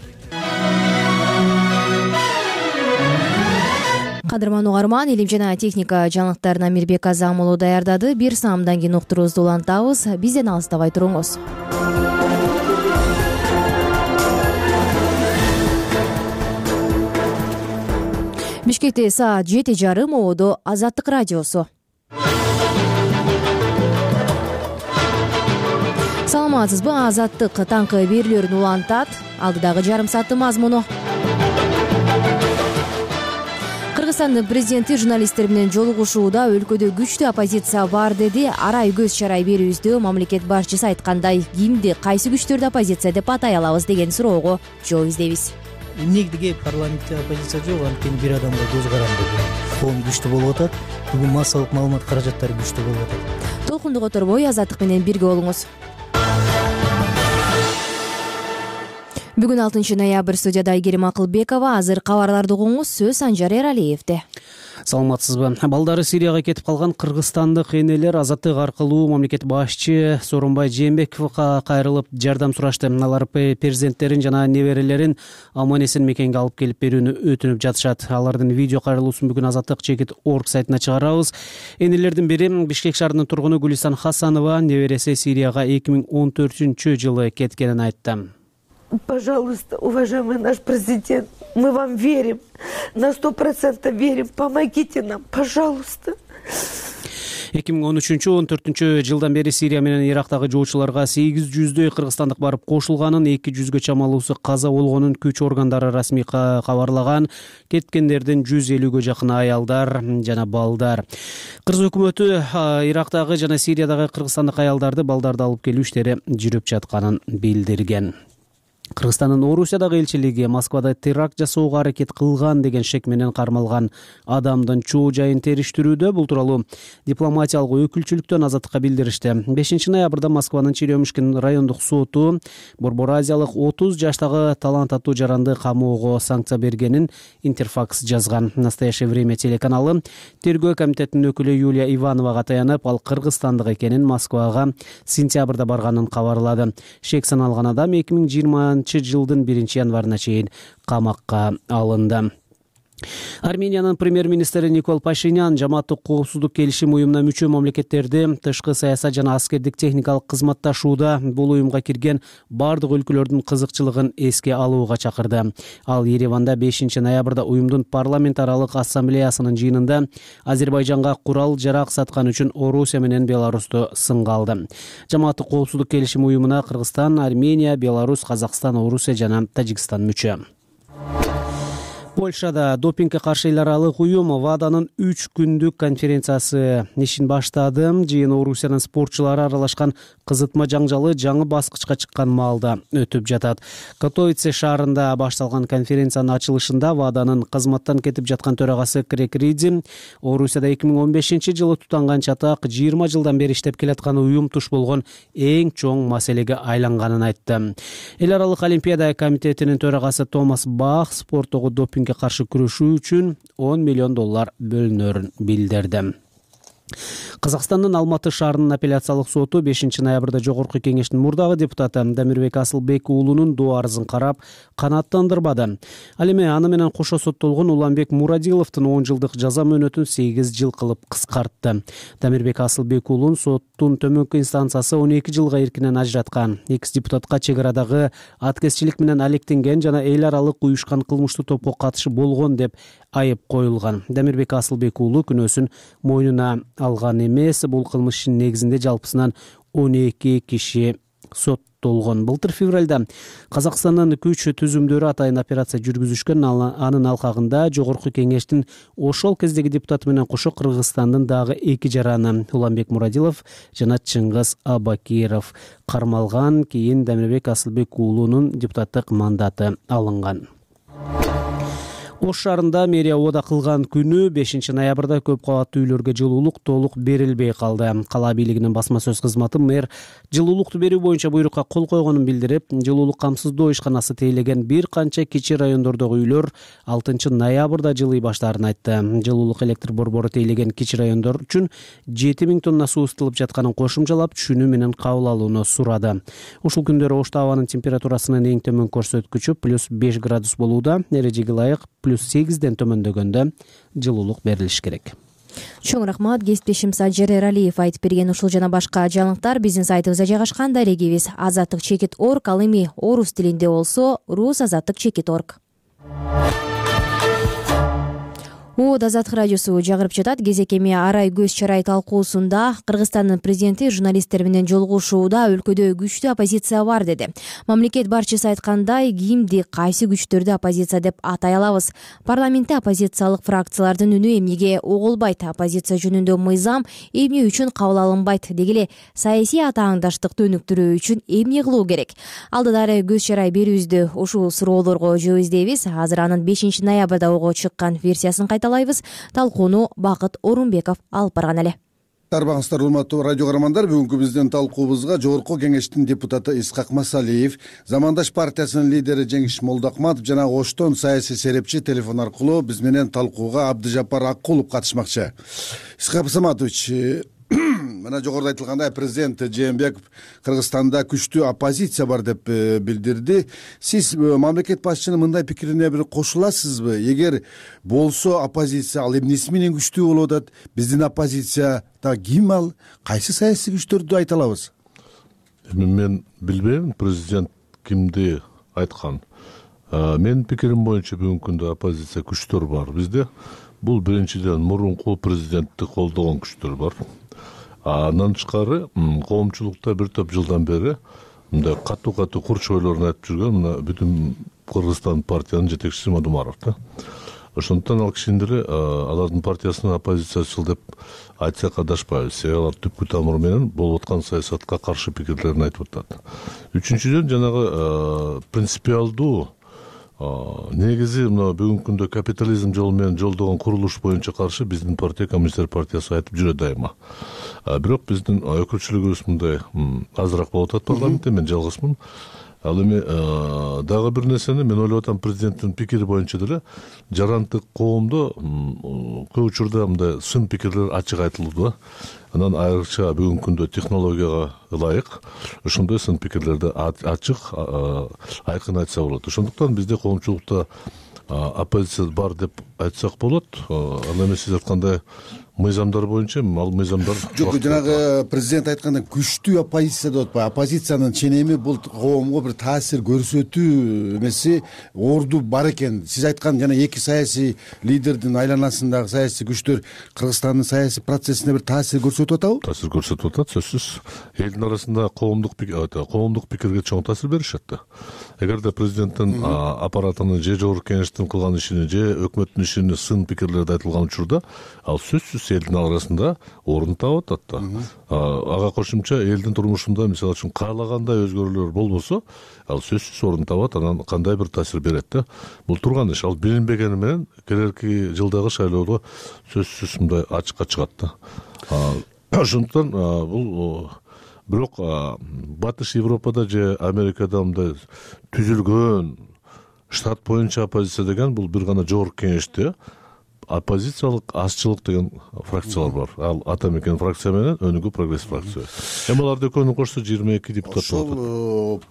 Кадырман угарман, илим жана техника жаңылыктарын Амирбек Азам уулу даярдады. Бир саамдан кийин уктуруубузду улантабыз. Бизден алыстабай туруңуз. Бишкекте саат 7:30, ободо Азаттык радиосу. Саламатсызбы? Азаттык таңкы берүүлөрүн улантат. Алдыдагы жарым сааттын мазмуну. Кыргызстандын президенти журналисттер менен жолугушууда өлкөдө күчтүү оппозиция бар деди. Арай көз чарай берүүбүздө мамлекет башчысы айткандай, кимди, кайсы күчтөрдү оппозиция деп атай алабыз деген суроого жооп издейбиз. Эмнеге парламентте оппозиция жок, анткени бир адамга көз каранды. Коом күчтүү болуп атат. Бүгүн массалык маалымат каражаттары күчтүү болуп атат. Толкунду которбой Азаттык менен бирге болуңуз. Бүгүн 6 ноябрь, студияда Айгерим Акылбекова. Азыр кабарларды угуңуз, сөз Санжар Эралиевде. Саламатсызбы? Балдары Сирияга кетип калган кыргызстандык энелер Азаттык аркылуу мамлекет башчы Сооронбай Жээнбековго кайрылып жардам сурашты. Алар перзенттерин жана неберелерин аман-эсен мекенге алып келип берүүнү өтүнүп жатышат. Алардын видео кайрылуусун бүгүн Азаттык.org сайтына чыгарабыз. Энелердин бири Бишкек шаарынын тургуну Гулисан Хасанова небереси Сирияга 2014-жылы кеткенин айтты. Пожалуйста, уважаемый наш президент, мы вам верим, на 100% верим, помогите нам, пожалуйста. 2013-14 жылдан бери Сирия менен Ирактагы жоочуларга 800дөй кыргызстандык барып кошулганын, 200гө чамалуусу каза болгонун күч органдары расмий кабарлаган. Кеткендердин 150гө жакын аялдар жана балдар. Кыргыз өкмөтү Ирактагы жана Сириядагы кыргызстандык аялдарды, балдарды алып келүү иштери жүрүп жатканын билдирген. Кыргызстандын Орусиядагы элчилиги Москвада теракт жасоого аракет кылган деген шек менен кармалган адамдын чоо жайын териштирүүдө. Бул тууралуу дипломатиялык өкүлчүлүктөн Азаттыкка билдиришти. 5 ноябрда Москванын Черемушкин райондук соту Борбор Азиялык 30 жаштагы талант аттуу жаранды камоого санкция бергенин Интерфакс жазган. Настоящее время телеканалы тергөө комитетинин өкүлү Юлия Ивановага таянып, ал кыргызстандык экенин, Москвага сентябрда барганын кабарлады. Шек саналган адам 2020 жылдын 1-январына чейин камакка алынды. Армениянын премьер-министри Никол Пашинян жамааттык коопсуздук келишим уюмуна мүчө мамлекеттерди тышкы саясат жана аскердик техникалык кызматташууда бул уюмга кирген бардык өлкөлөрдүн кызыкчылыгын эске алууга чакырды. Ал Ереванда 5 ноябрда уюмдун парламент аралык ассамблеясынын жыйынында Азербайжанга курал-жарак саткан үчүн Орусия менен Беларусту сынга алды. Жамааттык коопсуздук келишим уюмуна Кыргызстан, Армения, Беларусь, Казакстан, Орусия жана Тажикстан мүчө. Польшада допингге каршы эл аралык уюм ВАДАнын 3 күндүк конференциясы ишин баштады. Жыйын Орусиянын спортчулары аралашкан кызытма жаңжалы жаңы баскычка чыккан маалда өтүп жатат. Катовице шаарында башталган конференциянын ачылышында ВАДАнын кызматтан кетип жаткан төрагасы Крек Риди Орусияда 2015-жылы тутанган чатак 20 жылдан бери иштеп келаткан уюм туш болгон эң чоң маселеге айланганын айтты. Эл аралык Олимпиада комитетинин төрагасы Томас Бах спорттогу допинг каршы күрөшүү үчүн $10 миллион бөлүнөрүн билдирди. Казакстандын Алматы шаарынын апелляциялык соту 5 ноябрда Жогорку кеңештин мурдагы депутаты Дамирбек Асылбек уулунун доо арызын карап канааттандырбады. Ал эми аны менен кошо соттолгон Уланбек Мурадиловдун 10 жылдык жаза мөөнөтүн 8 жыл кылып кыскартты. Дамирбек Асылбек уулун соттун төмөнкү инстанциясы 12 жылга эркинен ажыраткан. Экс-депутатка чек арадагы аткезчилик менен алектенген жана эл аралык уюшкан кылмыштуу топко катышы болгон деп айып коюлган. Дамирбек Асылбек уулу күнөөсүн мойнуна алган эмес. Бул кылмыштын негизинде жалпысынан 12 киши соттолгон. Былтыр февралда Казакстандын күч түзүмдөрү атайын операция жүргүзүшкөн. Анын алкагында Жогорку кеңештин ошол кездеги депутаты менен кошо Кыргызстандын дагы 2 жараны Уланбек Мурадилов жана Чыңгыз Абакиров кармалган. Кийин Дамирбек Асылбек уулунун депутаттык мандаты алынган. Ош шаарында мэрия убада кылган күнү 5 ноябрда көп кабаттуу үйлөргө жылуулук толук берилбей калды. Кала бийлигинин басма сөз кызматы мэр жылуулукту берүү боюнча буйрукка кол койгонун билдирип, жылуулук камсыздоо ишканасы тейлеген бир канча кичи райондордогу үйлөр 6 ноябрда жылый баштаарын айтты. Жылуулук электр борбору тейлеген кичи райондор үчүн 7000 тонна суу ысытылып жатканын кошумчалап, түшүнүү менен кабыл алууну сурады. Ушул күндөрү Ошто абанын температурасынын эң төмөн көрсөткүчү +5 градус болууда. Эрежеге ылайык +8ден төмөндөгөндө жылуулук берилиш керек. Чоң рахмат. Кесиптешим Сажер Эралиев айтып берген ушул жана башка жаңылыктар биздин сайтыбызда жайгашкан. Дарегибиз azattik.org, ал эми орус тилинде болсо rusazattik.org. Азаттык радиосу жагырып жатат. Кезекеме арай көз чарай талкуусунда Кыргызстандын президенти журналисттер менен жолугушууда өлкөдө күчтүү оппозиция бар деди. Мамлекет башчысы айткандай, кимди кайсы күчтөрдү оппозиция деп атай алабыз? Парламентте оппозициялык фракциялардын үнү эмнеге угулбайт? Оппозиция жөнүндө мыйзам эмне үчүн кабыл алынбайт? Дегеле саясий атааңдаштыкты өнүктүрүү үчүн эмне кылуу керек? Алдыдары көз чарай берүүбүздө ушул суроолорго жооп издейбиз. Азыр анын 5 ноябрда ого чыккан версиясын кайталайбыз. Талкууну Бакыт Орунбеков алып барган эле. Арбаңыздар, урматтуу радио каармандар, бүгүнкү биздин талкуубузга Жогорку Кеңештин депутаты Исхак Масалиев, Замандаш партиясынын лидери Жеңиш Молдокматов жана Оштон саясий серепчи телефон аркылуу биз менен талкууга Абдыжапар Аккулов катышмакчы. Исхак Саматович, мына жогоруда айтылгандай, президент Жээнбеков Кыргызстанда күчтүү оппозиция бар деп билдирди. Сиз мамлекет башчынын мындай пикирине бир кошуласызбы? Эгер болсо оппозиция ал эмнеси менен күчтүү болуп атат? Биздин оппозицияда ким ал? Кайсы саясий күчтөрдү айта алабыз? Мен билбейм президент кимди айткан. Менин пикирим боюнча бүгүнкү күндө оппозиция күчтөр бар бизде. Бул биринчиден мурунку президентти колдогон күчтөр бар. Андан тышкары коомчулукта бир топ жылдан бери мындай катуу курч ойлорун айтып жүргөн мына бүтүн Кыргызстан партиянын жетекчиси Мадумаров да. Ошондуктан ал кишинин деле алардын партиясынын оппозициячыл деп айтсак адашпайбыз. Себеби алар түпкү тамыры менен болуп аткан саясатка каршы пикирлерин айтып атат. Үчүнчүдөн жанагы принципиалдуу негизи мына бүгүнкү күндө капитализм жолу менен жолдогон курулуш боюнча каршы биздин партия, Коммунисттер партиясы айтып жүрөт дайыма. Бирок биздин өкүлчүлүгүбүз мындай азыраак болуп атат парламентте, мен жалгызмын. Ал эми дагы бир нерсени мен ойлоп атам, президенттин пикири боюнча деле жарандык коомдо көп учурда мындай сын пикирлер ачык айтылды. Анан айрыкча бүгүнкү күндө технологияга ылайык ошондой сын пикирлерди ачык, айкын айтса болот. Ошондуктан бизде коомчулукта оппозиция бар деп айтсак болот. Ал эми сиз айткандай мыйзамдар боюнча ал мыйзамдар жок, жанагы президент айткандай күчтүү оппозиция деп атпайбы? Оппозициянын ченеми бул коомго бир таасир көрсөтүү эмеси орду бар экен. Сиз айткан жана эки саясий лидердин айланасындагы саясий күчтөр Кыргызстандын саясий процессине бир таасир көрсөтүп атабы? Таасир көрсөтүп атат, сөзсүз. Элдин арасында коомдук пикирге чоң таасир беришет да. Эгерде президенттин аппаратынын же Жогорку Кеңештин кылган ишини же өкмөттүн ишини сын пикирлерди айтылган учурда ал сөзсүз элдин арасында орун таап атат да. Ага кошумча элдин турмушунда мисалы үчүн каалагандай өзгөрүүлөр болбосо, ал сөзсүз орун табат, анан кандай бир таасир берет да. Бул турган иш, ал билинбегени менен келерки жылдагы шайлоодо сөзсүз мындай ачыкка чыгат да. Ошондуктан бул бирок Батыш Европада же Америкада мындай түзүлгөн штат боюнча оппозиция деген бул бир гана Жогорку Кеңеште оппозициялык азчылык деген фракциялар бар. Ал ата мекен фракция менен өнүгүү прогресс фракция. Эми аларды экөөнү кошсо 22 депутат болот. Ошол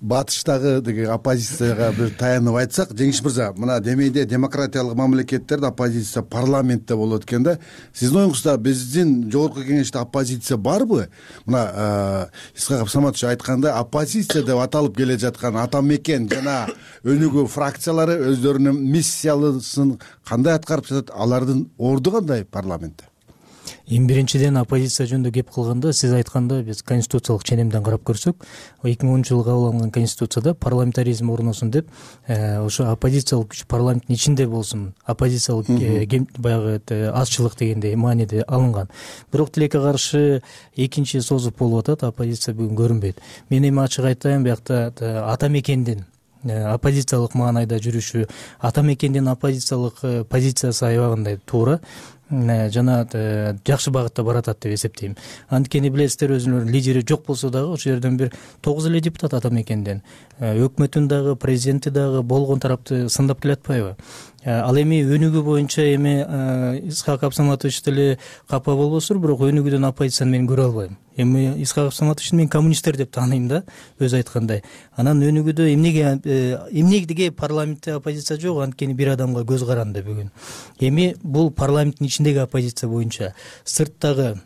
батыштагы деген оппозицияга бир таянып айтсак, Жеңиш мырза, мына демейде демократиялык мамлекеттерде оппозиция парламентте болот экен да. Сиздин оюңузда биздин Жогорку Кеңеште оппозиция барбы? Мына Исхак Саматович айткандай, оппозиция деп аталып келе жаткан ата мекен жана өнүгүү фракциялары өздөрүнүн миссиясын кандай аткарып жатат? Алардын орду кандай парламентте? Эми биринчиден оппозиция жөнүндө кеп кылганда, сиз айткандай биз конституциялык ченемден карап көрсөк, 2010-жылы кабыл алынган конституцияда парламентаризм орносун деп, ошо оппозициялык күч парламенттин ичинде болсун, оппозициялык баягы азчылык дегендей мааниде алынган. Бирок тилекке каршы экинчи созуп болуп атат, оппозиция бүгүн көрүнбөйт. Мен эми ачык айтайын, биякта ата мекендин оппозициялык маанайда жүрүшү ата мекендин оппозициялык позициясы аябагандай туура жана жакшы багытта баратат деп эсептейм. Анткени билесиздер, өзүнүн лидери жок болсо дагы ошол жерден бир 9 эле депутат ата мекенден, өкмөтүн дагы президенти дагы болгон тарапты сындап келатпайбы? Ал эми өнүгүү боюнча эми Исхак Абсаматович деле капа болбосур, бирок өнүгүүдөн оппозицияны мен көрө албайм. Эми Исхак Абсаматовичти мен коммунисттер деп тааныйм да, өзү айткандай. Анан өнүгүүдө эмнеге парламентте оппозиция жок, анткени бир адамга көз каранды бүгүн. Эми бул парламенттин ичиндеги оппозиция боюнча, сырттагы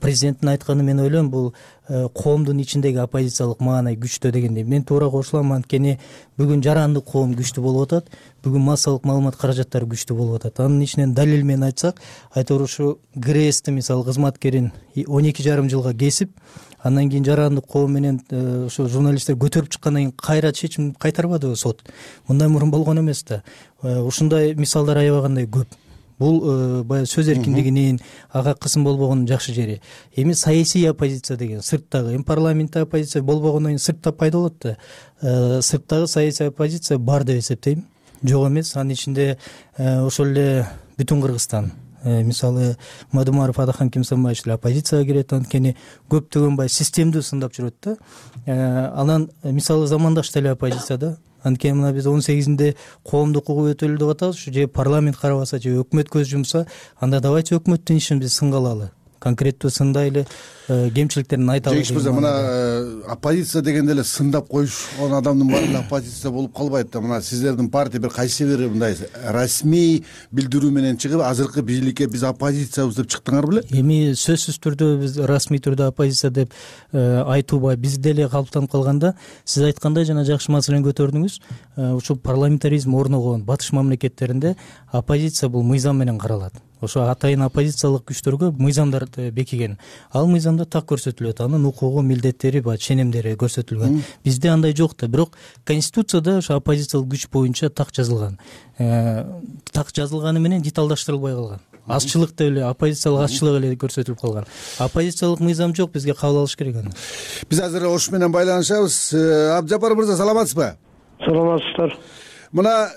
президенттин айтканы мен ойлойм, бул коомдун ичиндеги оппозициялык маанай күчтүү дегенде мен туура кошулам. Анткени бүгүн жарандык коом күчтүү болуп атат, бүгүн массалык маалымат каражаттары күчтүү болуп атат. Анын ичинен далил менен айтсак, айтор ушу ГРСти мисалы кызматкерин 12,5 жылга кесип, андан кийин жарандык коом менен ошо журналисттер көтөрүп чыккандан кийин кайра чечим кайтарбадыбы сот? Мындай мурун болгон эмес да. Ушундай мисалдар аябагандай көп. Бул баягы сөз эркиндигинин ага кысым болбогонун жакшы жери. Эми саясий оппозиция деген сырттагы, эми парламентте оппозиция болбогондон кийин сыртта пайда болот да. Сырттагы саясий оппозиция бар деп эсептейм. Жок эмес. Анын ичинде ошол эле бүтүн Кыргызстан, мисалы Мадумаров Адахан Кимсанбаевич эле оппозицияга кирет, анткени көптөгөн баягы системдүү сындап жүрөт да. Анан мисалы Замандаш деле оппозицияда. Анткени мына биз 18-нде коомдук укук өтөлү деп атабыз, же парламент карабаса, же өкмөт көз жумса, анда давайте өкмөттүн ишин биз сынга алалы. Конкреттүү сындайлы кемчиликтерин айталы. Жеңиш мырза, мына оппозиция дегенде эле сындап коюшкан адамдын баары оппозиция болуп калбайт да. Мына сиздердин партия бир кайсы бир мындай расмий билдирүү менен чыгып, азыркы бийликке биз оппозициябыз деп чыктыңар беле? Эми сөзсүз түрдө биз расмий түрдө оппозиция деп айтуу биз деле калыптанып калганда, сиз айткандай жана жакшы маселени көтөрдүңүз. Ушул парламентаризм орногон батыш мамлекеттеринде оппозиция бул мыйзам менен каралат. Ошо атайын оппозициялык күчтөргө мыйзамдар бекиген. Ал мыйзамда так көрсөтүлөт, анын укугу, милдеттери, ченемдери көрсөтүлгөн. Бизде андай жок да, бирок Конституцияда ошо оппозициялык күч боюнча так жазылган. Так жазылганы менен деталдаштырылбай калган. Азчылык деп эле, оппозициялык азчылык эле көрсөтүлүп калган. Оппозициялык мыйзам жок, бизге кабыл алыш керек аны. Биз азыр ош менен байланышабыз. Абжапар мырза, саламатсызбы? Саламатсыздар. Мына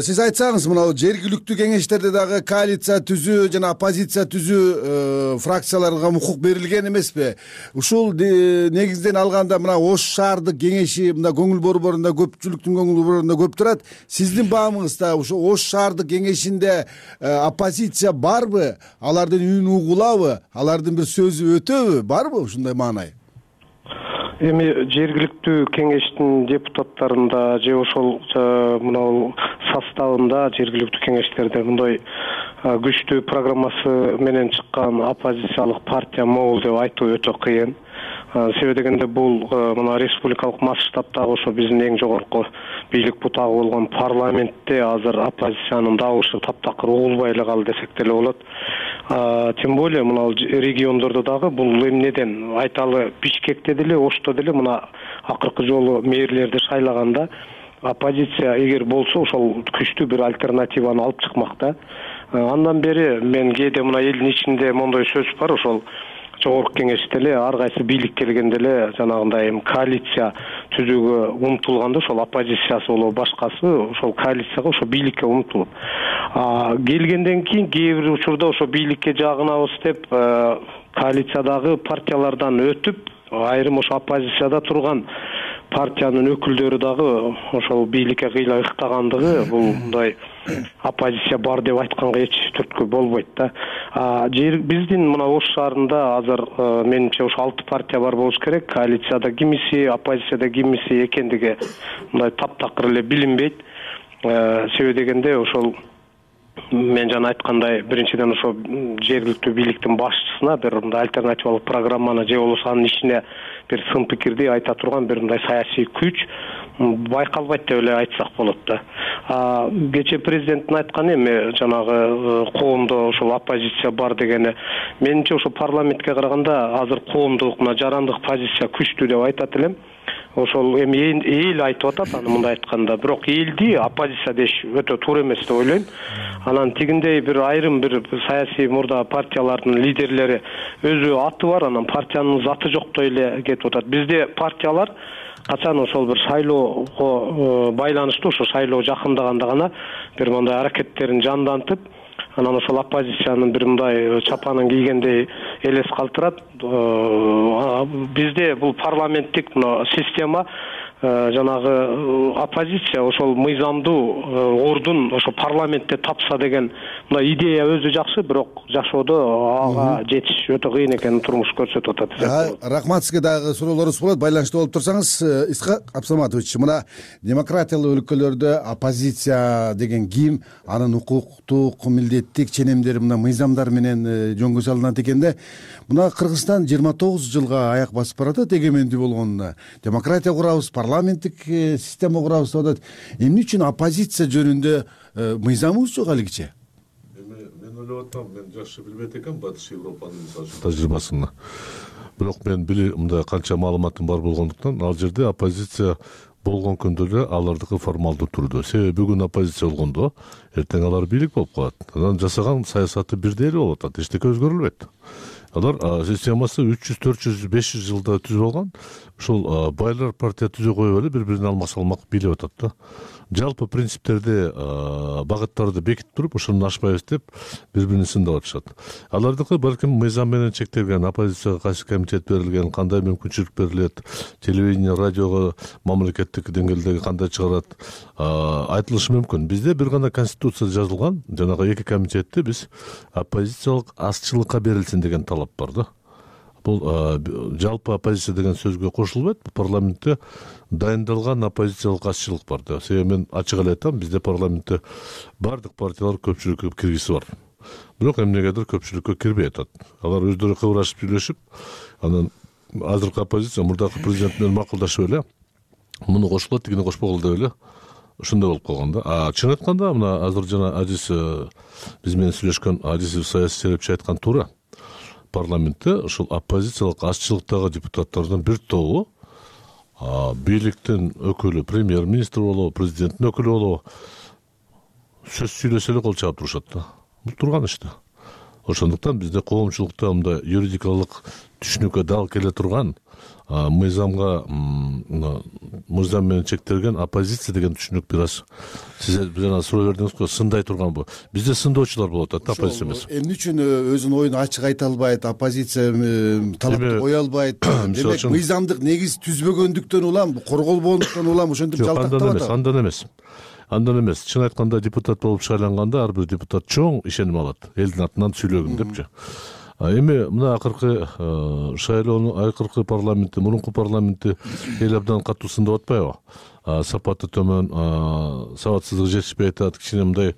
сиз айтсаңыз, мына жергиликтүү кеңештерде дагы коалиция түзүү жана оппозиция түзүү фракцияларга укук берилген эмеспи? Ушул негизден алганда мына Ош шаардык кеңеши мында көңүл борборунда, көпчүлүктүн көңүл борборунда көп турат. Сиздин баамыңызда ушу Ош шаардык кеңешинде оппозиция барбы? Алардын үнүн угулабы? Алардын бир сөзү өтөбү? Барбы ушундай маанай? Эми жергиликтүү кеңештин депутаттарында же ошол мына составында жергиликтүү кеңештерде мындай күчтүү программасы менен чыккан оппозициялык партия могул деп айтуу өтө кыйын. Себеби дегенде бул мына республикалык масштабтагы ошо биздин эң жогорку бийлик бутагы болгон парламентте азыр оппозициянын добушу таптакыр угулбай эле калды десек деле болот. Тем более мына региондордо дагы бул эмнеден айталы, Бишкекте деле, Ошто деле мына акыркы жолу мэрлерди шайлаганда оппозиция эгер болсо ошол күчтүү бир альтернативаны алып чыкмак. Андан бери мен кээде мына элдин ичинде мондой сөз бар, ошол жогорку кеңеште эле ар кайсы бийлик келгенде эле жанагындай коалиция түзүүгө умтулганда ошол оппозициясы болобу башкасы ошол коалицияга ошо бийликке умтулуп келгенден кийин кээ бир учурда ошо бийликке жагынабыз деп коалициядагы партиялардан өтүп айрым ошо оппозицияда турган партиянын өкүлдөрү дагы ошол бийликке кыйла ыктагандыгы бул мындай оппозиция бар деп айтканга эч түрткү болбойт да. Биздин мына Ош шаарында азыр менимче ошо 6 партия бар болуш керек. Коалицияда кимиси, оппозицияда кимиси экендиги мындай таптакыр эле билинбейт. Себеби дегенде ошол мен жана айткандай биринчиден ошо жергиликтүү бийликтин башчысына бир мындай альтернативалык программаны же болбосо анын ичине бир сын пикирди айта турган бир мындай саясий күч байкалбайт деп эле айтсак болот да. Кечээ президенттин айтканы эми жанагы коомдо ошол оппозиция бар дегени менимче ошо парламентке караганда азыр коомдук мына жарандык позиция күчтүү деп айтат элем. Ошол эми эл айтып атат аны мындай айтканда, бирок элди оппозиция деш өтө туура эмес деп ойлойм. Анан тигиндей бир айрым бир саясий мурда партиялардын лидерлери өзү аты бар, анан партиянын заты жоктой эле кетип атат. Бизде партиялар качан ошол бир шайлоого байланыштуу, ошо шайлоо жакындаганда гана бир мындай аракеттерин жандантып, анан ошол оппозициянын бир мындай чапанын кийгендей элес калтырат. Бизде бул парламенттик система, жанагы оппозиция ошол мыйзамдуу ордун ошо парламентте тапса деген мындай идея өзү жакшы, бирок жашоодо ага жетиш өтө кыйын экенин турмуш көрсөтүп атат. Рахмат, сизге дагы суроолорубуз болот. Байланышта болуп турсаңыз, Исхак Абсаматович, мына демократиялуу өлкөлөрдө оппозиция деген ким, анын укуктук, милдеттик ченемдери мына мыйзамдар менен жөнгө салынат экенде, мына Кыргызстан 29 жылга аяк басып баратат эгемендүү болгонуна. Демократия курабыз, парламенттик система курабыз деп атат. Эмне үчүн оппозиция жөнүндө мыйзамыбыз жок алигиче? Мен ойлоп атам, мен жакшы билбейт экенмин Батыш Европанын тажрыйбасын. Бирок мен мындай канча маалыматым бар болгондуктан, ал жерде оппозиция болгон күндө эле алардыкы формалдуу түрдө. Себеби бүгүн оппозиция болгондо, эртең алар бийлик болуп калат. Анан жасаган саясаты бирдей эле болуп атат, эчтеке өзгөрүлбөйт. Алар системасы 300, 400, 500 жылда түзүп алган. Ушул байлар партия түзө коюп эле бири-бирине алмак бийлеп атат да. Жалпы принциптерди, багыттарды бекитип туруп, ошону ашпайбыз деп бири-бирин сындап атышат. Алардыкы балким мыйзам менен чектелген, оппозицияга кайсы комитет берилген, кандай мүмкүнчүлүк берилет, телевидение, радиого мамлекеттик деңгээлдеги кандай чыгарат, айтылышы мүмкүн. Бизде бир гана конституцияда жазылган, жанагы 2 комитетти биз оппозициялык азчылыкка берилсин деген талап бар да. Бул жалпы оппозиция деген сөзгө кошулбайт. Парламентте дайындалган оппозициялык азчылык бар да. Себеби мен ачык эле айтам, бизде парламентте бардык партиялар көпчүлүккө киргиси бар. Бирок эмнегедир көпчүлүккө кирбей атат. Алар өздөрү кыбырашып сүйлөшүп, анан азыркы оппозиция мурдакы президент менен макулдашып эле, муну кошулат, тигини кошпогула деп эле ошондой болуп калган да. Чын айтканда, мына азыр жана Азиз биз менен сүйлөшкөн Азиз саясий серепчи айткан туура. Парламентте ушул оппозициялык азчылыктагы депутаттардын бир тобу бийликтин өкүлү, премьер-министр болобу, президенттин өкүлү болобу, сөз сүйлөсө эле кол чаап турушат да. Бул турган иш да. Ошондуктан бизде коомчулукта мындай юридикалык түшүнүккө дал келе турган, мыйзам менен чектелген оппозиция деген түшүнүк бир аз сиз жана суроо бердиңиз го, сындай турган бу. Бизде сындоочулар болот да, оппозиция эмес. Эмне үчүн өзүнүн оюн ачык айта албайт, оппозиция талапты кое албайт? Демек мыйзамдык негиз түзбөгөндүктөн улам, корголбогондуктан улам ошентип жалтактап атат. Андан эмес. Чын айтканда депутат болуп шайланганда ар бир депутат чоң ишеним алат. Элдин атынан сүйлөгүн депчи. Эми мына акыркы шайлоонун акыркы парламентти, мурунку парламентти эл абдан катуу сындап атпайбы? Сапаты төмөн, сабатсыздыгы жетишпей атат, кичине мындай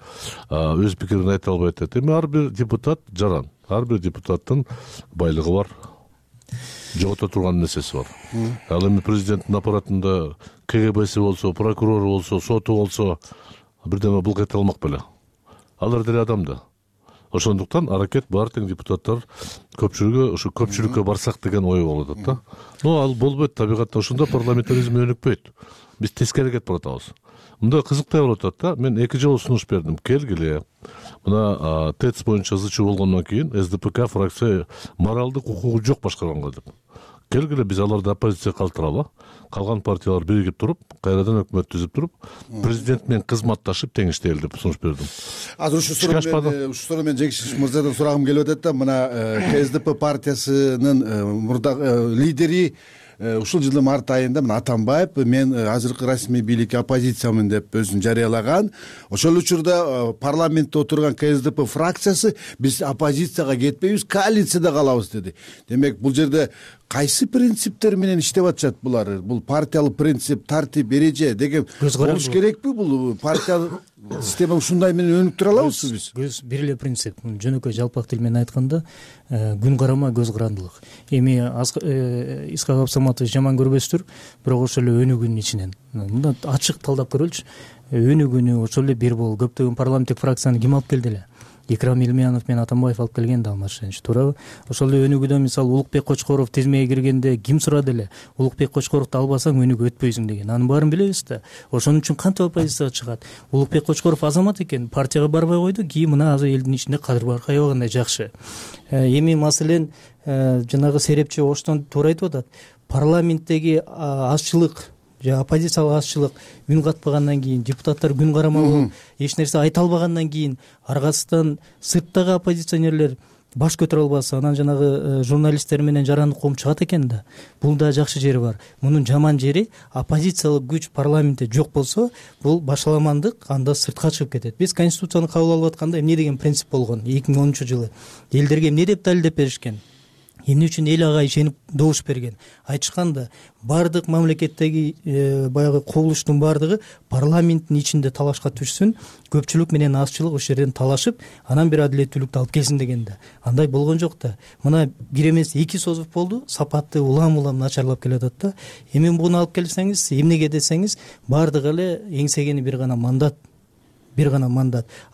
өз пикирин айта албай атат. Эми ар бир депутат жаран, ар бир депутаттын байлыгы бар, жогото турган нерсеси бар. Ал эми президенттин аппаратында КГБси болсо, прокурору болсо, соту болсо, бирдеме булк эте алмак беле. Алар деле адам да. Ошондуктан аракет бар тең депутаттар көпчүлүгү ушу көпчүлүккө барсак деген ой болуп атат да. Ал болбойт, табигатта ошондо парламентаризм өнүкпөйт. Биз тескери кетип баратабыз. Мындай кызыктай болуп атат да. Мен 2 жолу сунуш бердим. Келгиле. Мына ТЭЦ боюнча ызычуу болгондон кийин СДПК фракция моралдык укугу жок башкарганга деп. Келгиле биз аларды оппозиция калтыралы, калган партиялар биригип туруп, кайрадан өкмөт түзүп туруп, президент менен кызматташып тең иштейли деп сунуш бердим. Азыр ушу суроо мен Жекшиш мырзадан сурагым келип атат да, мына КСДП партиясынын мурдагы лидери ушул жылдын март айында мына Атамбаев мен азыркы расмий бийликке оппозициямын деп өзүн жарыялаган. Ошол учурда парламентте отурган КСДП фракциясы биз оппозицияга кетпейбиз, коалицияда калабыз деди. Демек бул жерде кайсы принциптер менен иштеп атышат булар? Бул партиялык принцип, тартип, эреже деген болуш керекпи? Бул партия система ушундай менен өнүктүрө алабызбы биз? Көз бир эле принцип. Жөнөкөй жалпак тил менен айтканда, күн карама көз карандылык. Эми Исхак Абсаматович жаман көрбөстүр, бирок ошол эле өнүгүүнүн ичинен. Мында ачык талдап көрөлүчү. Өнүгүүнү ошол эле бир болуп көптөгөн парламенттик фракцияны ким алып келди эле? Икрам Илмиянов менен Атамбаев алып келген да, Алмаз, туурабы? Ошол эле өнүгүүдө мисалы Улукбек Кочкоров тизмеге киргенде ким сурады эле? Улукбек Кочкоровду албасаң өнүгүп өтпөйсүң деген. Анын баарын билебиз да. Ошон үчүн кантип оппозицияга чыгат? Улукбек Кочкоров азамат экен, партияга барбай койду, кийин мына азыр элдин ичинде кадыр баркай багандай жакшы. Эми маселен жанагы серепчи Оштон туура айтып атат. Парламенттеги азчылык оппозициялык азчылык үн катпагандан кийин, депутаттар күн карамал болуп эч нерсе айта албагандан кийин аргасынан сырттагы оппозиционерлер баш көтөрө албаса, анан жанагы журналисттер менен жарандык коом чыгат экен да. Бул да жакшы жери бар. Мунун жаман жери оппозициялык күч парламентте жок болсо, бул башаламандык анда сыртка чыгып кетет. Биз конституцияны кабыл алып атканда эмне деген принцип болгон 2010-жылы? Элдерге эмне деп далилдеп беришкен? Эмне үчүн эл ага ишенип добуш берген? Айтышканда, бардык мамлекеттеги баягы кубулуштун бардыгы парламенттин ичинде талашка түшсүн, көпчүлүк менен азчылык ошол жерден талашып, анан бир адилеттүүлүктү алып келсин деген да. Андай болгон жок да. Мына бир эмес 2 созуп болду, сапаты улам начарлап келатат да. Эми буну алып келсеңиз, эмнеге десеңиз, бардыгы эле эңсегени бир гана мандат.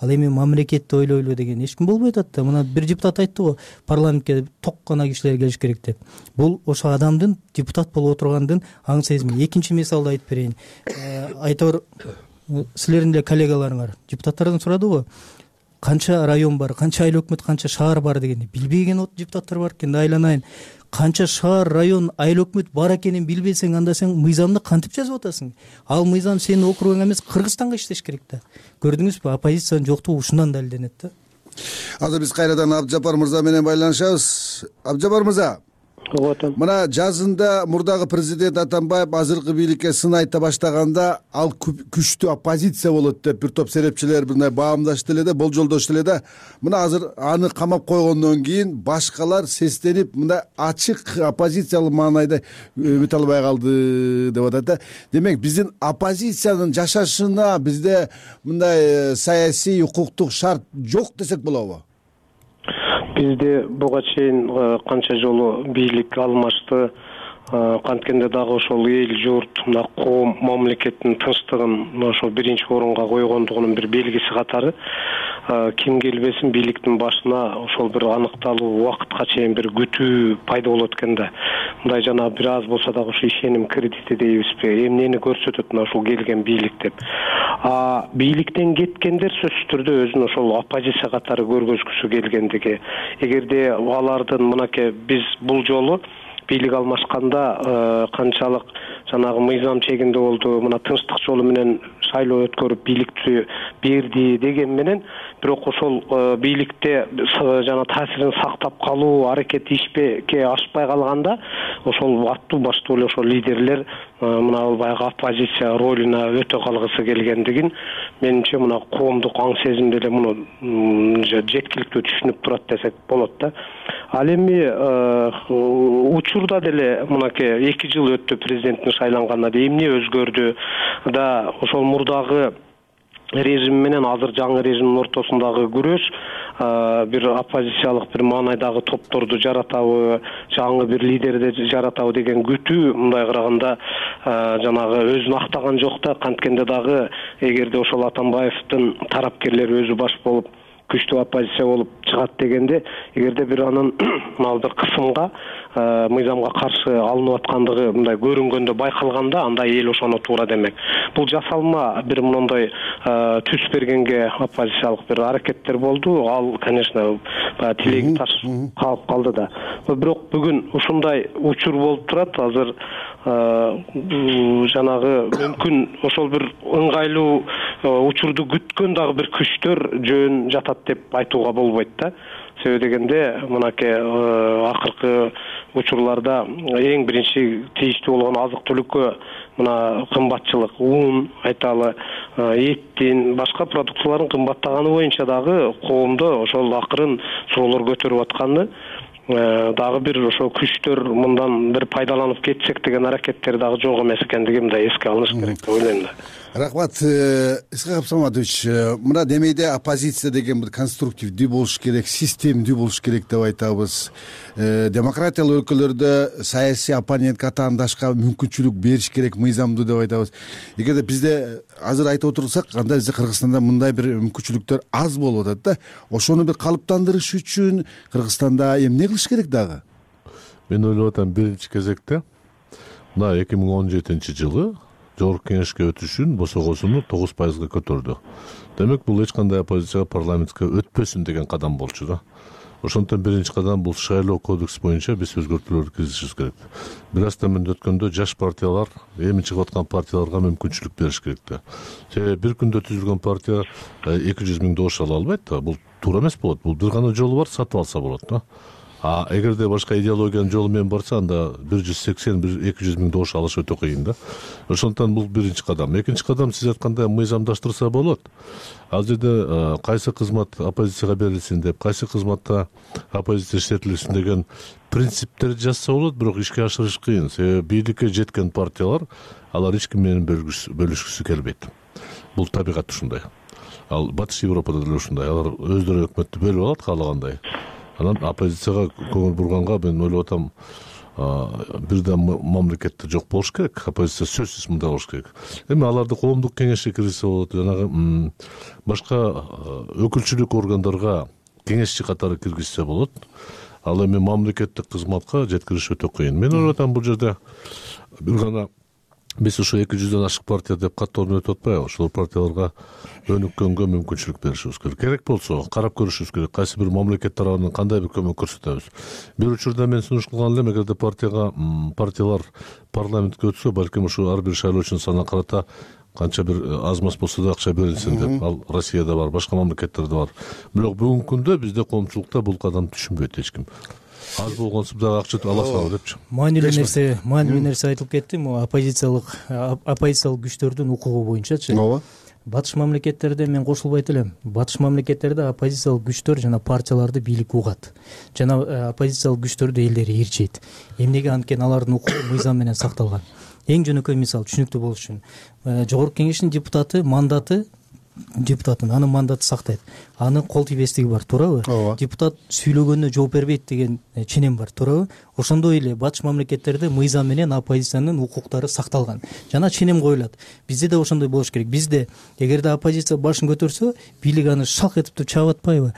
Ал эми мамлекетти ойлойлу деген эч ким болбой атат да. Мына бир депутат айтты го, парламентке ток гана кишилер келиш керек деп. Бул ошо адамдын депутат болуп отургандын аң сезими. Экинчи мисалды айтып берейин. Айтор, силердин эле коллегаларыңар депутаттардан сурады го, канча район бар, канча айыл өкмөт, канча шаар бар дегенди. Билбеген депутаттар бар экен да, айланайын. Канча шаар, район, айыл өкмөт бар экенин билбесең, анда сен мыйзамды кантип жазып атасың? Ал мыйзам сенин округуңа эмес, Кыргызстанга иштеш керек да. Көрдүңүзбү, оппозициянын жоктугу ушундан далилденет да. Азыр биз кайрадан Абджапар мырза менен байланышабыз. Абджапар мырза, мына жазында мурдагы президент Атамбаев азыркы бийликке сын айта баштаганда, ал күчтүү оппозиция болот деп бир топ серепчилер мындай баамдашты эле да, болжолдошту эле да. Мына азыр аны камап койгондон кийин башкалар сестенип мындай ачык оппозициялык маанайда өтө албай калды деп атат да. Демек, биздин оппозициянын жашашына бизде мындай саясий, укуктук шарт жок десек болобу? Бизде буга чейин канча жолу бийлик алмашты, канткенде дагы ошол эл журт, мына коом, мамлекеттин тынчтыгын ошо биринчи орунга койгондугунун бир белгиси катары ким келбесин бийликтин башына ошол бир аныкталуу убакытка чейин бир күтүү пайда болот экен да. Мындай жана бир аз болсо дагы ошо ишеним кредити дейбизби, эмнени көрсөтөт мына ушул келген бийлик деп. Бийликтен кеткендер сөзсүз түрдө өзүн ошол оппозиция катары көргөзгүсү келгендиги. Эгерде алардын мынакей биз бул жолу бийлик алмашканда канчалык жанагы мыйзам чегинде болду, мына тынчтык жолу менен шайлоо өткөрүп бийликти берди деген менен, бирок ошол бийликте жана таасирин сактап калуу аракети ишке ашпай калганда, ошол аттуу баштуу эле ошол лидерлер мына баягы оппозиция ролуна өтө калгысы келгендигин менимче мына коомдук аң сезимде эле муну жеткиликтүү түшүнүп турат десек болот да. Ал эми учурда деле мынакей 2 жыл өттү президенттин шайланганына, эмне өзгөрдү да, ошол мурдагы режим менен азыр жаңы режимдин ортосундагы күрөш бир оппозициялык бир маанайдагы топторду жаратабы, жаңы бир лидерди жаратабы деген күтүү мындай караганда жанагы өзүн актаган жок да. Канткенде дагы эгерде ошол Атамбаевдин тарапкерлери өзү баш болуп күчтүү оппозиция болуп чыгат дегенде, эгерде бир анын мына бир кысымга мыйзамга каршы алынып аткандыгы мындай көрүнгөндө байкалганда, анда эл ошону туура демек. Бул жасалма бир мондой түс бергенге оппозициялык бир аракеттер болду. Ал, конечно, тилеги таш калып калды да. Бирок бүгүн ушундай учур болуп турат. Азыр жанагы мүмкүн ошол бир ыңгайлуу учурду күткөн дагы бир күчтөр жөн жатат деп айтууга болбойт да. Себеби дегенде мынакей акыркы учурларда эң биринчи тийиштүү болгон азык-түлүккө мына кымбатчылык, ун, айталы, эттин, башка продукциялардын кымбаттаганы боюнча дагы коомдо ошол акырын суроолор көтөрүп атканы, дагы бир ошо күчтөр мындан бир пайдаланып кетсек деген аракеттер дагы жок эмес экендиги мындай эске алыныш керек деп ойлойм да. Рахмат, Исхак Абсаматович. Мына демейде оппозиция деген бир конструктивдүү болуш керек, системдүү болуш керек деп айтабыз. Демократиялык өлкөлөрдө саясий оппонент катаандашка мүмкүнчүлүк бериш керек, мыйзамдуу деп айтабыз. Эгерде бизде азыр айтып отурсак, анда бизде Кыргызстанда мындай бир мүмкүнчүлүктөр аз болуп атат да. Ошону бир калыптандырыш үчүн Кыргызстанда эмне кылыш керек дагы? Мен ойлоп атам, биринчи кезекте мына 2017 жылы Жогорку кеңешке өтүшүн босогосуну 9% көтөрдү. Демек, бул эч кандай оппозицияга парламентке өтпөсүн деген кадам болчу да. ошондуктан биринчи кадам бул шайлоо кодекс боюнча биз өзгөртүүлөрдү киргизишибиз керек. Бир аз төмөндө өткөндө жаш партиялар, эми чыгып аткан партияларга мүмкүнчүлүк бериш керек да. Себеби бир күндө түзүлгөн партия 200 000 добуш ала албайт да. Бул туура эмес болот. Бул бир гана жолу бар, сатып алса болот да. А эгерде башка идеологиянын жолу менен барса, анда 180-200 000 добуш алыш өтө кыйын да. Ошондуктан бул биринчи кадам. Экинчи кадам сиз айткандай мыйзамдаштырса болот. Ал жерде кайсы кызмат оппозицияга берилсин деп, кайсы кызматта оппозиция иштетилсин деген принциптерди жазса болот, бирок ишке ашырыш кыйын. Себеби бийликке жеткен партиялар алар эч ким менен бөлүшкүсү келбейт. Бул табигаты ушундай. Ал Батыш Европада деле ушундай. Алар өздөрү өкмөттү бөлүп алат каалагандай. Анан оппозицияга көңүл бурганга мен ойлоп атам, бирден мамлекетте жок болуш керек, оппозиция сөзсүз мындай болуш керек. Эми аларды коомдук кеңешке киргизсе болот, жанагы башка өкүлчүлүк органдарга кеңешчи катары киргизсе болот. Ал эми мамлекеттик кызматка жеткириш өтө кыйын. Мен ойлоп атам, бул жерде бир гана биз ушу 200дөн ашык партия деп каттоо менен өтүп атпайбы? Ошол партияларга өнүккөнгө мүмкүнчүлүк беришибиз керек. Керек болсо карап көрүшүбүз керек. Кайсы бир мамлекет тарабынан кандай бир көмөк көрсөтөбүз. Бир учурда мен сунуш кылган элем, эгерде партиялар парламентке өтсө, балким ушу ар бир шайлоочунун санына карата канча бир аз маз болсо да акча берилсин деп. Ал Россияда бар, башка мамлекеттерде бар. Бирок бүгүнкү күндө бизде коомчулукта бул кадамды түшүнбөйт эч ким. Аз болгонсуп дагы акча ала салгы депчи. Маанилүү нерсе айтылып кетти. Могу оппозициялык күчтөрдүн укугу боюнчачы. Ооба. Батыш мамлекеттерде мен кошулбайт элем. Батыш мамлекеттерде оппозициялык күчтөр жана партияларды бийлик угат. Жана оппозициялык күчтөрдү элдери ээрчейт. Эмнеге? Анткени алардын укугу мыйзам менен сакталган. Эң жөнөкөй мисал түшүнүктүү болуш үчүн Жогорку Кеңештин депутатын анын мандаты сактайт. Анын кол тийбестиги бар, туурабы? Депутат сүйлөгөндө жооп бербейт деген ченем бар, туурабы? Ошондой эле батыш мамлекеттерде мыйзам менен оппозициянын укуктары сакталган. Жана ченем коюлат. Бизде да ошондой болуш керек. Бизде эгерде оппозиция башын көтөрсө, бийлик аны шалк этип чаап атпайбы?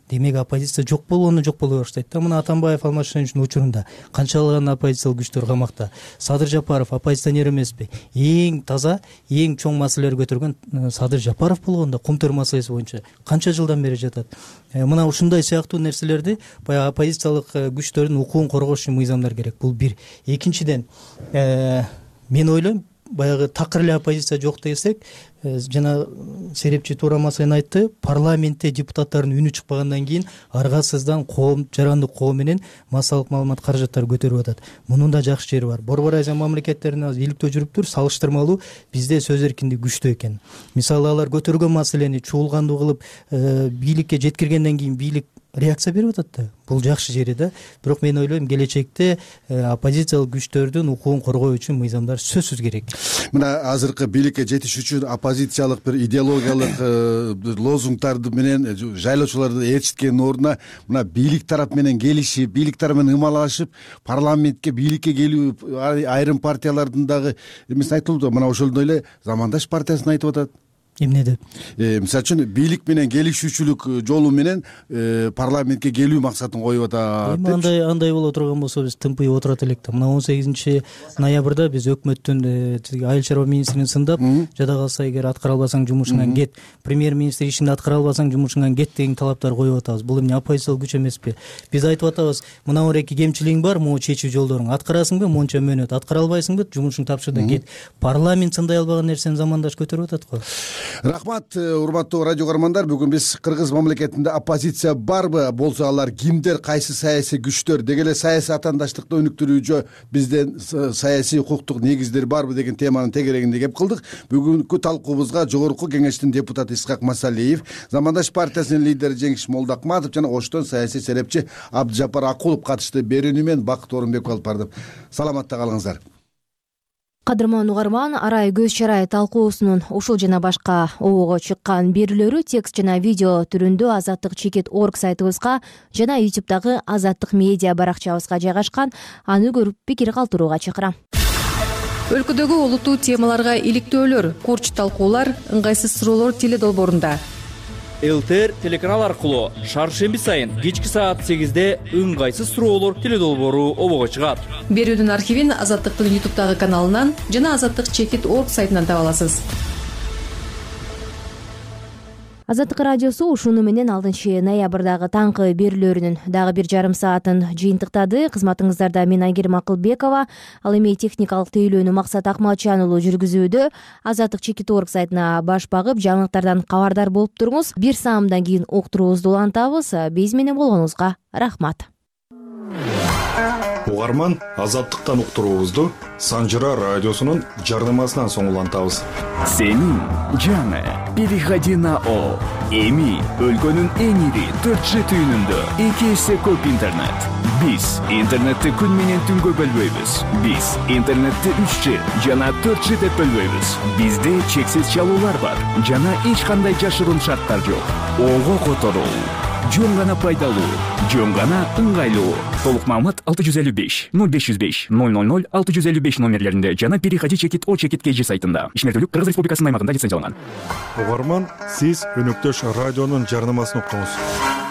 Демек оппозиция жок болгону жок боло баштайт да. Мына Атамбаев Алмашчыновичтин учурунда канчалаган оппозициялык күчтөр камакта. Садыр Жапаров оппозиционер эмеспи? Эң таза, эң чоң маселелер көтөргөн Садыр Жапаров болгондо кумтөр маселеси боюнча канча жылдан бери жатат. Мына ушундай сыяктуу нерселерди баягы оппозициялык күчтөрдүн укугун коргош үчүн мыйзамдар керек. Бул бир. Экинчиден, мен ойлойм, баягы такыр эле оппозиция жок десек, жана серепчи туура маселени айтты, парламентте депутаттардын үнү чыкпагандан кийин аргасыздан жарандык коом менен массалык маалымат каражаттары көтөрүп атат. Мунун да жакшы жери бар. Борбор Азия мамлекеттеринде азыр бийликте жүрүптүр, салыштырмалуу бизде сөз эркиндиги күчтүү экен. Мисалы алар көтөргөн маселени чуулгандуу кылып бийликке жеткиргенден кийин бийлик реакция берип атат да. Бул жакшы жери да. Бирок мен ойлойм, келечекте оппозициялык күчтөрдүн укугун коргоо үчүн мыйзамдар сөзсүз керек. Мына азыркы бийликке жетиш үчүн оппозициялык бир идеологиялык лозунгдарды менен жайлоочуларды ээрчиткендин ордуна мына бийлик тарап менен келишип, бийлик тарап менен ымалашып, парламентке, бийликке келүү айрым партиялардын дагы эмесин айтылды. Мына ошондой эле Замандаш партиясын айтып атат. Эмне деп? Мисалы үчүн бийлик менен келишүүчүлүк жолу менен парламентке келүү максатын коюп атат. Андай боло турган болсо биз тымпыйып отурат элек да. Мына 18 ноябрда биз өкмөттүн айыл чарба министрин сындап, жада калса эгер аткара албасаң жумушуңан кет, премьер-министр ишинди аткара албасаң жумушуңан кет деген талаптар коюп атабыз. Бул эмне оппозициялык күч эмеспи? Биз айтып атабыз, мына эки кемчилигиң бар, могу чечүү жолдоруң. Аткарасыңбы, монча мөөнөт, аткара албайсыңбы, жумушуңду тапшыр да кет. Парламент сындай албаган нерсени Замандаш көтөрүп атат го. Рахмат, урматтуу радио көрөрмандар. Бүгүн биз Кыргыз мамлекетинде оппозиция барбы, болсо алар кимдер, кайсы саясий күчтөр, деги эле саясий атаандаштыкты өнүктүрүүчү бизден саясий укуктук негиздер барбы деген теманын тегерегинде кеп кылдык. Бүгүнкү талкуубузга Жогорку Кеңештин депутаты Исхак Масалиев, Замандаш партиясынын лидери Жеңиш Молдокматов жана Оштон саясий серепчи Абдыжапар Акулов катышты. Берүүнү мен Бакыт Орунбеков алып бардым. Саламатта калыңыздар. Кадырман угарман, арай көз чарай талкуусунун ушул жана башка обого чыккан берүүлөрү текст жана видео түрүндө Азаттык.org сайтыбызга жана YouTube'дагы Азаттык медиа баракчабызга жайгашкан. Аны көрүп пикир калтырууга чакырам. Өлкөдөгү олуттуу темаларга иликтөөлөр, курч талкуулар, ыңгайсыз суроолор теле долбоорунда. ЛТР телеканал аркылуу шаршемби сайын кечки саат 8-де ыңгайсыз суроолор теле долбоору обого чыгат. Берүүдүн архивин Азаттыктын YouTube'дагы каналынан жана Азаттык.org сайтынан таба аласыз. Азаттык радиосу ушуну менен 6 ноябрдагы таңкы берүүлөрүнүн дагы 1,5 саатын жыйынтыктады. Кызматыңыздарда мен Айгерим Акылбекова, ал эми техникалык тейлөөнү Максат Акматжан уулу жүргүзүүдө. Азаттык чекит орг сайтына баш багып, жаңылыктардан кабардар болуп туруңуз. 1 саамдан кийин уктуруубузду улантабыз. Биз менен болгонуңузга рахмат. Угарман, Азаттыктан уктуруубузду Санжыра радиосунун жарнамасынан соң улантабыз. Сенин жаңы переходи на О. Эми өлкөнүн эң ири 4G түйүнүндө 2 эсе көп интернет. Биз интернетти күн менен түнгө бөлбөйбүз. Биз интернетти 3G жана 4G деп бөлбөйбүз. Бизде чексиз чалуулар бар жана эч кандай жашыруун шарттар жок. Ого которуу, жөн гана пайдалуу, жөн гана ыңгайлуу. Толук маалымат 655 0505 000 655 номерлеринде жана переходи чекит О чекит KG сайтында. Ишмердүүлүк Кыргыз Республикасынын аймагында лицензияланган. Угарман, сиз өнөктөш радионун жарнамасын уктуңуз.